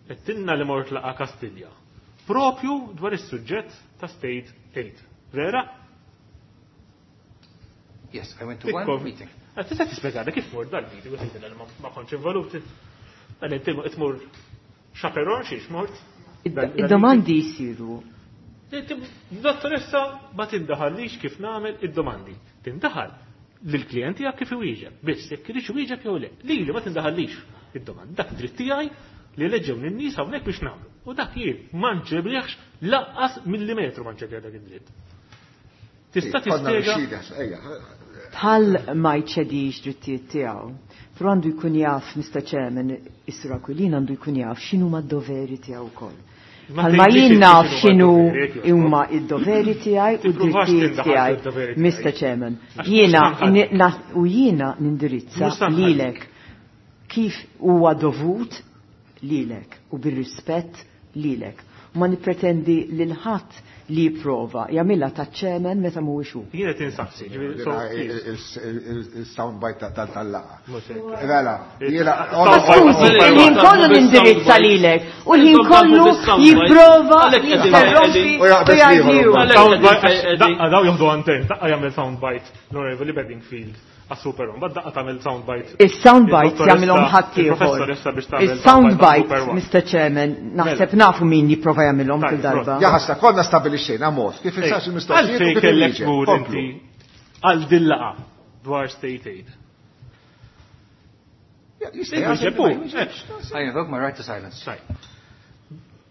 Għedtilna li mort laqgħa Kastilja. Propju dwar is-suġġett ta' State Aid. Vera? Yes, I went to one Ikkom- meeting. Ah, Tista' tispjegana kif mort dal-meeting u tgħidilna li ma ma kontx involut. Dan inti tmur chaperon xiex mort. Id-domandi jisiru. Dottoressa ma tindaħallix kif nagħmel id-domandi. Tindaħal lill-klijent tiegħek kif iwieġeb. Biss jekk iridx iwieġeb jew le. Lili ma tindaħallix id-domandi. Dak dritt tiegħi li eleġġew lin-nies hawnhekk biex nagħmlu. U dak jien ma nċebliħx lanqas millimetru ma nċebliħ dak id-dritt. Tista' Konna tispjega rixxida, ejja. Bħal ma jċedix drittijiet tiegħu, però għandu jkun jaf, Mister Chairman, is-Sur Aquilina għandu jkun jaf x'inhu ma d-doveri tiegħu wkoll. Ma Bħal ma tgħidlix jien naf x'inhuma x'inhu d-doveri tiegħek. huma id-doveri tiegħi u Tippruvax d-drittijiet tindaħal tiegħi, fid-doveri tiegħi. Mister Chairman. Għax Jiena mhux tanħal. ni- na- u jiena nindirizza Mhux tanħal. lilek kif huwa dovut lilek u bir-rispett lilek. U ma nippretendi lil ħadd li jipprova jagħmilha ta' chairman meta mhuwiex hu. Jien qed insaqsi, ġifieri, so, please. Il-soundbite tal-laqgħa. Mhux hekk. Mela, jiena. Skużi, il-ħin kollu nindirizza lilek u l-ħin kollu jipprova jinterrompi U jaqbeż u jgħidli ieħor hu. Għalhekk Soundbite, qegħdin- daqqa daw joħdu anten, daqqa jagħmel soundbite l-Onorevoli Bedingfield għas-Super One, bad daqqa tagħmel soundbite. Is-soundbites jagħmilhom ħadd ieħor. Il-professoressa biex tagħmel Is-soundbites, Mister Chairman, naħseb nafu min jipprova jagħmilhom kull Tajjeb, darba. Ja ħassa, konna stabilixxejna mod kif insaqsu mistoqsijiet u Għalfejn kif kellek inwieġeb. tmur Komplu. inti għal dil-laqgħa dwar State Aid. Ja, jista' jagħżel Iwieġeb ma hu. jwieġebx. I invoke my right to silence. Tajjeb.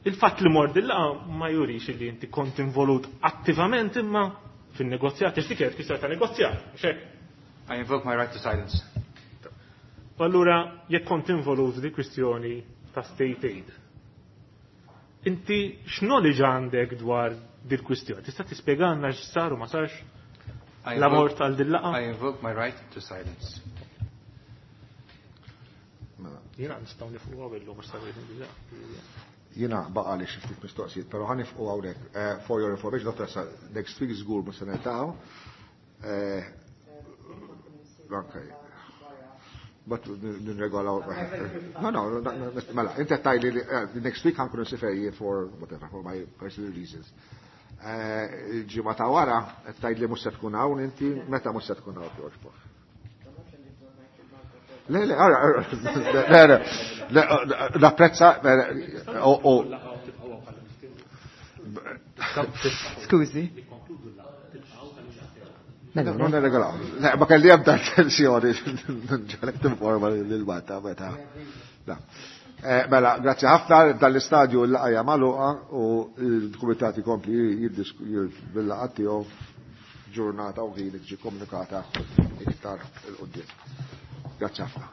Il-fatt li mort dil-laqgħa ma jurix li inti kont involut attivament imma fin-negozjat, għax dik kienet kwistjoni ta' negozjat, mhux hekk? I invoke my right to silence. U allura jekk kont involut di kwistjoni ta' State Aid, inti x'knowledge għandek dwar dil kwistjoni? Tista' tispjegalna x'sar u ma sarx? I La invoke- mort għal dil-laqgħa? I invoke my right to silence. Jiena nistgħu nifqu illum mhux sa diġà. Jiena baqa li xi ftit mistoqsijiet, però ħa nifqu hawnhekk. Eh, For your information, dottoressa, next week żgur mhux se niltaqgħu. Eh, Okay. But nirregolaw. No, no, no, no, mela, inti tgħidli li eh, next week ħa nkun nsiefer for whatever, for my personal reasons. Eh, Il-ġimgħa ta' wara qed tgħidli mhux se tkun hawn inti, meta mhux se tkun hawn jogħġbok. Le, le, ara, ara, le, le, le, napprezza, o, o, Skużi. Mela, Non nirregolaw. Le, ma kelli ebda intenzjoni ġalek tinforma lil-Malta meta. La. Eh, Mela, grazzi ħafna dal-istadju l-laqgħa magħluqa u l-kumitat ikompli bil-laqgħa tiegħu ġurnata u ħin tiġi komunikata iktar 'il quddiem. Grazzi ħafna.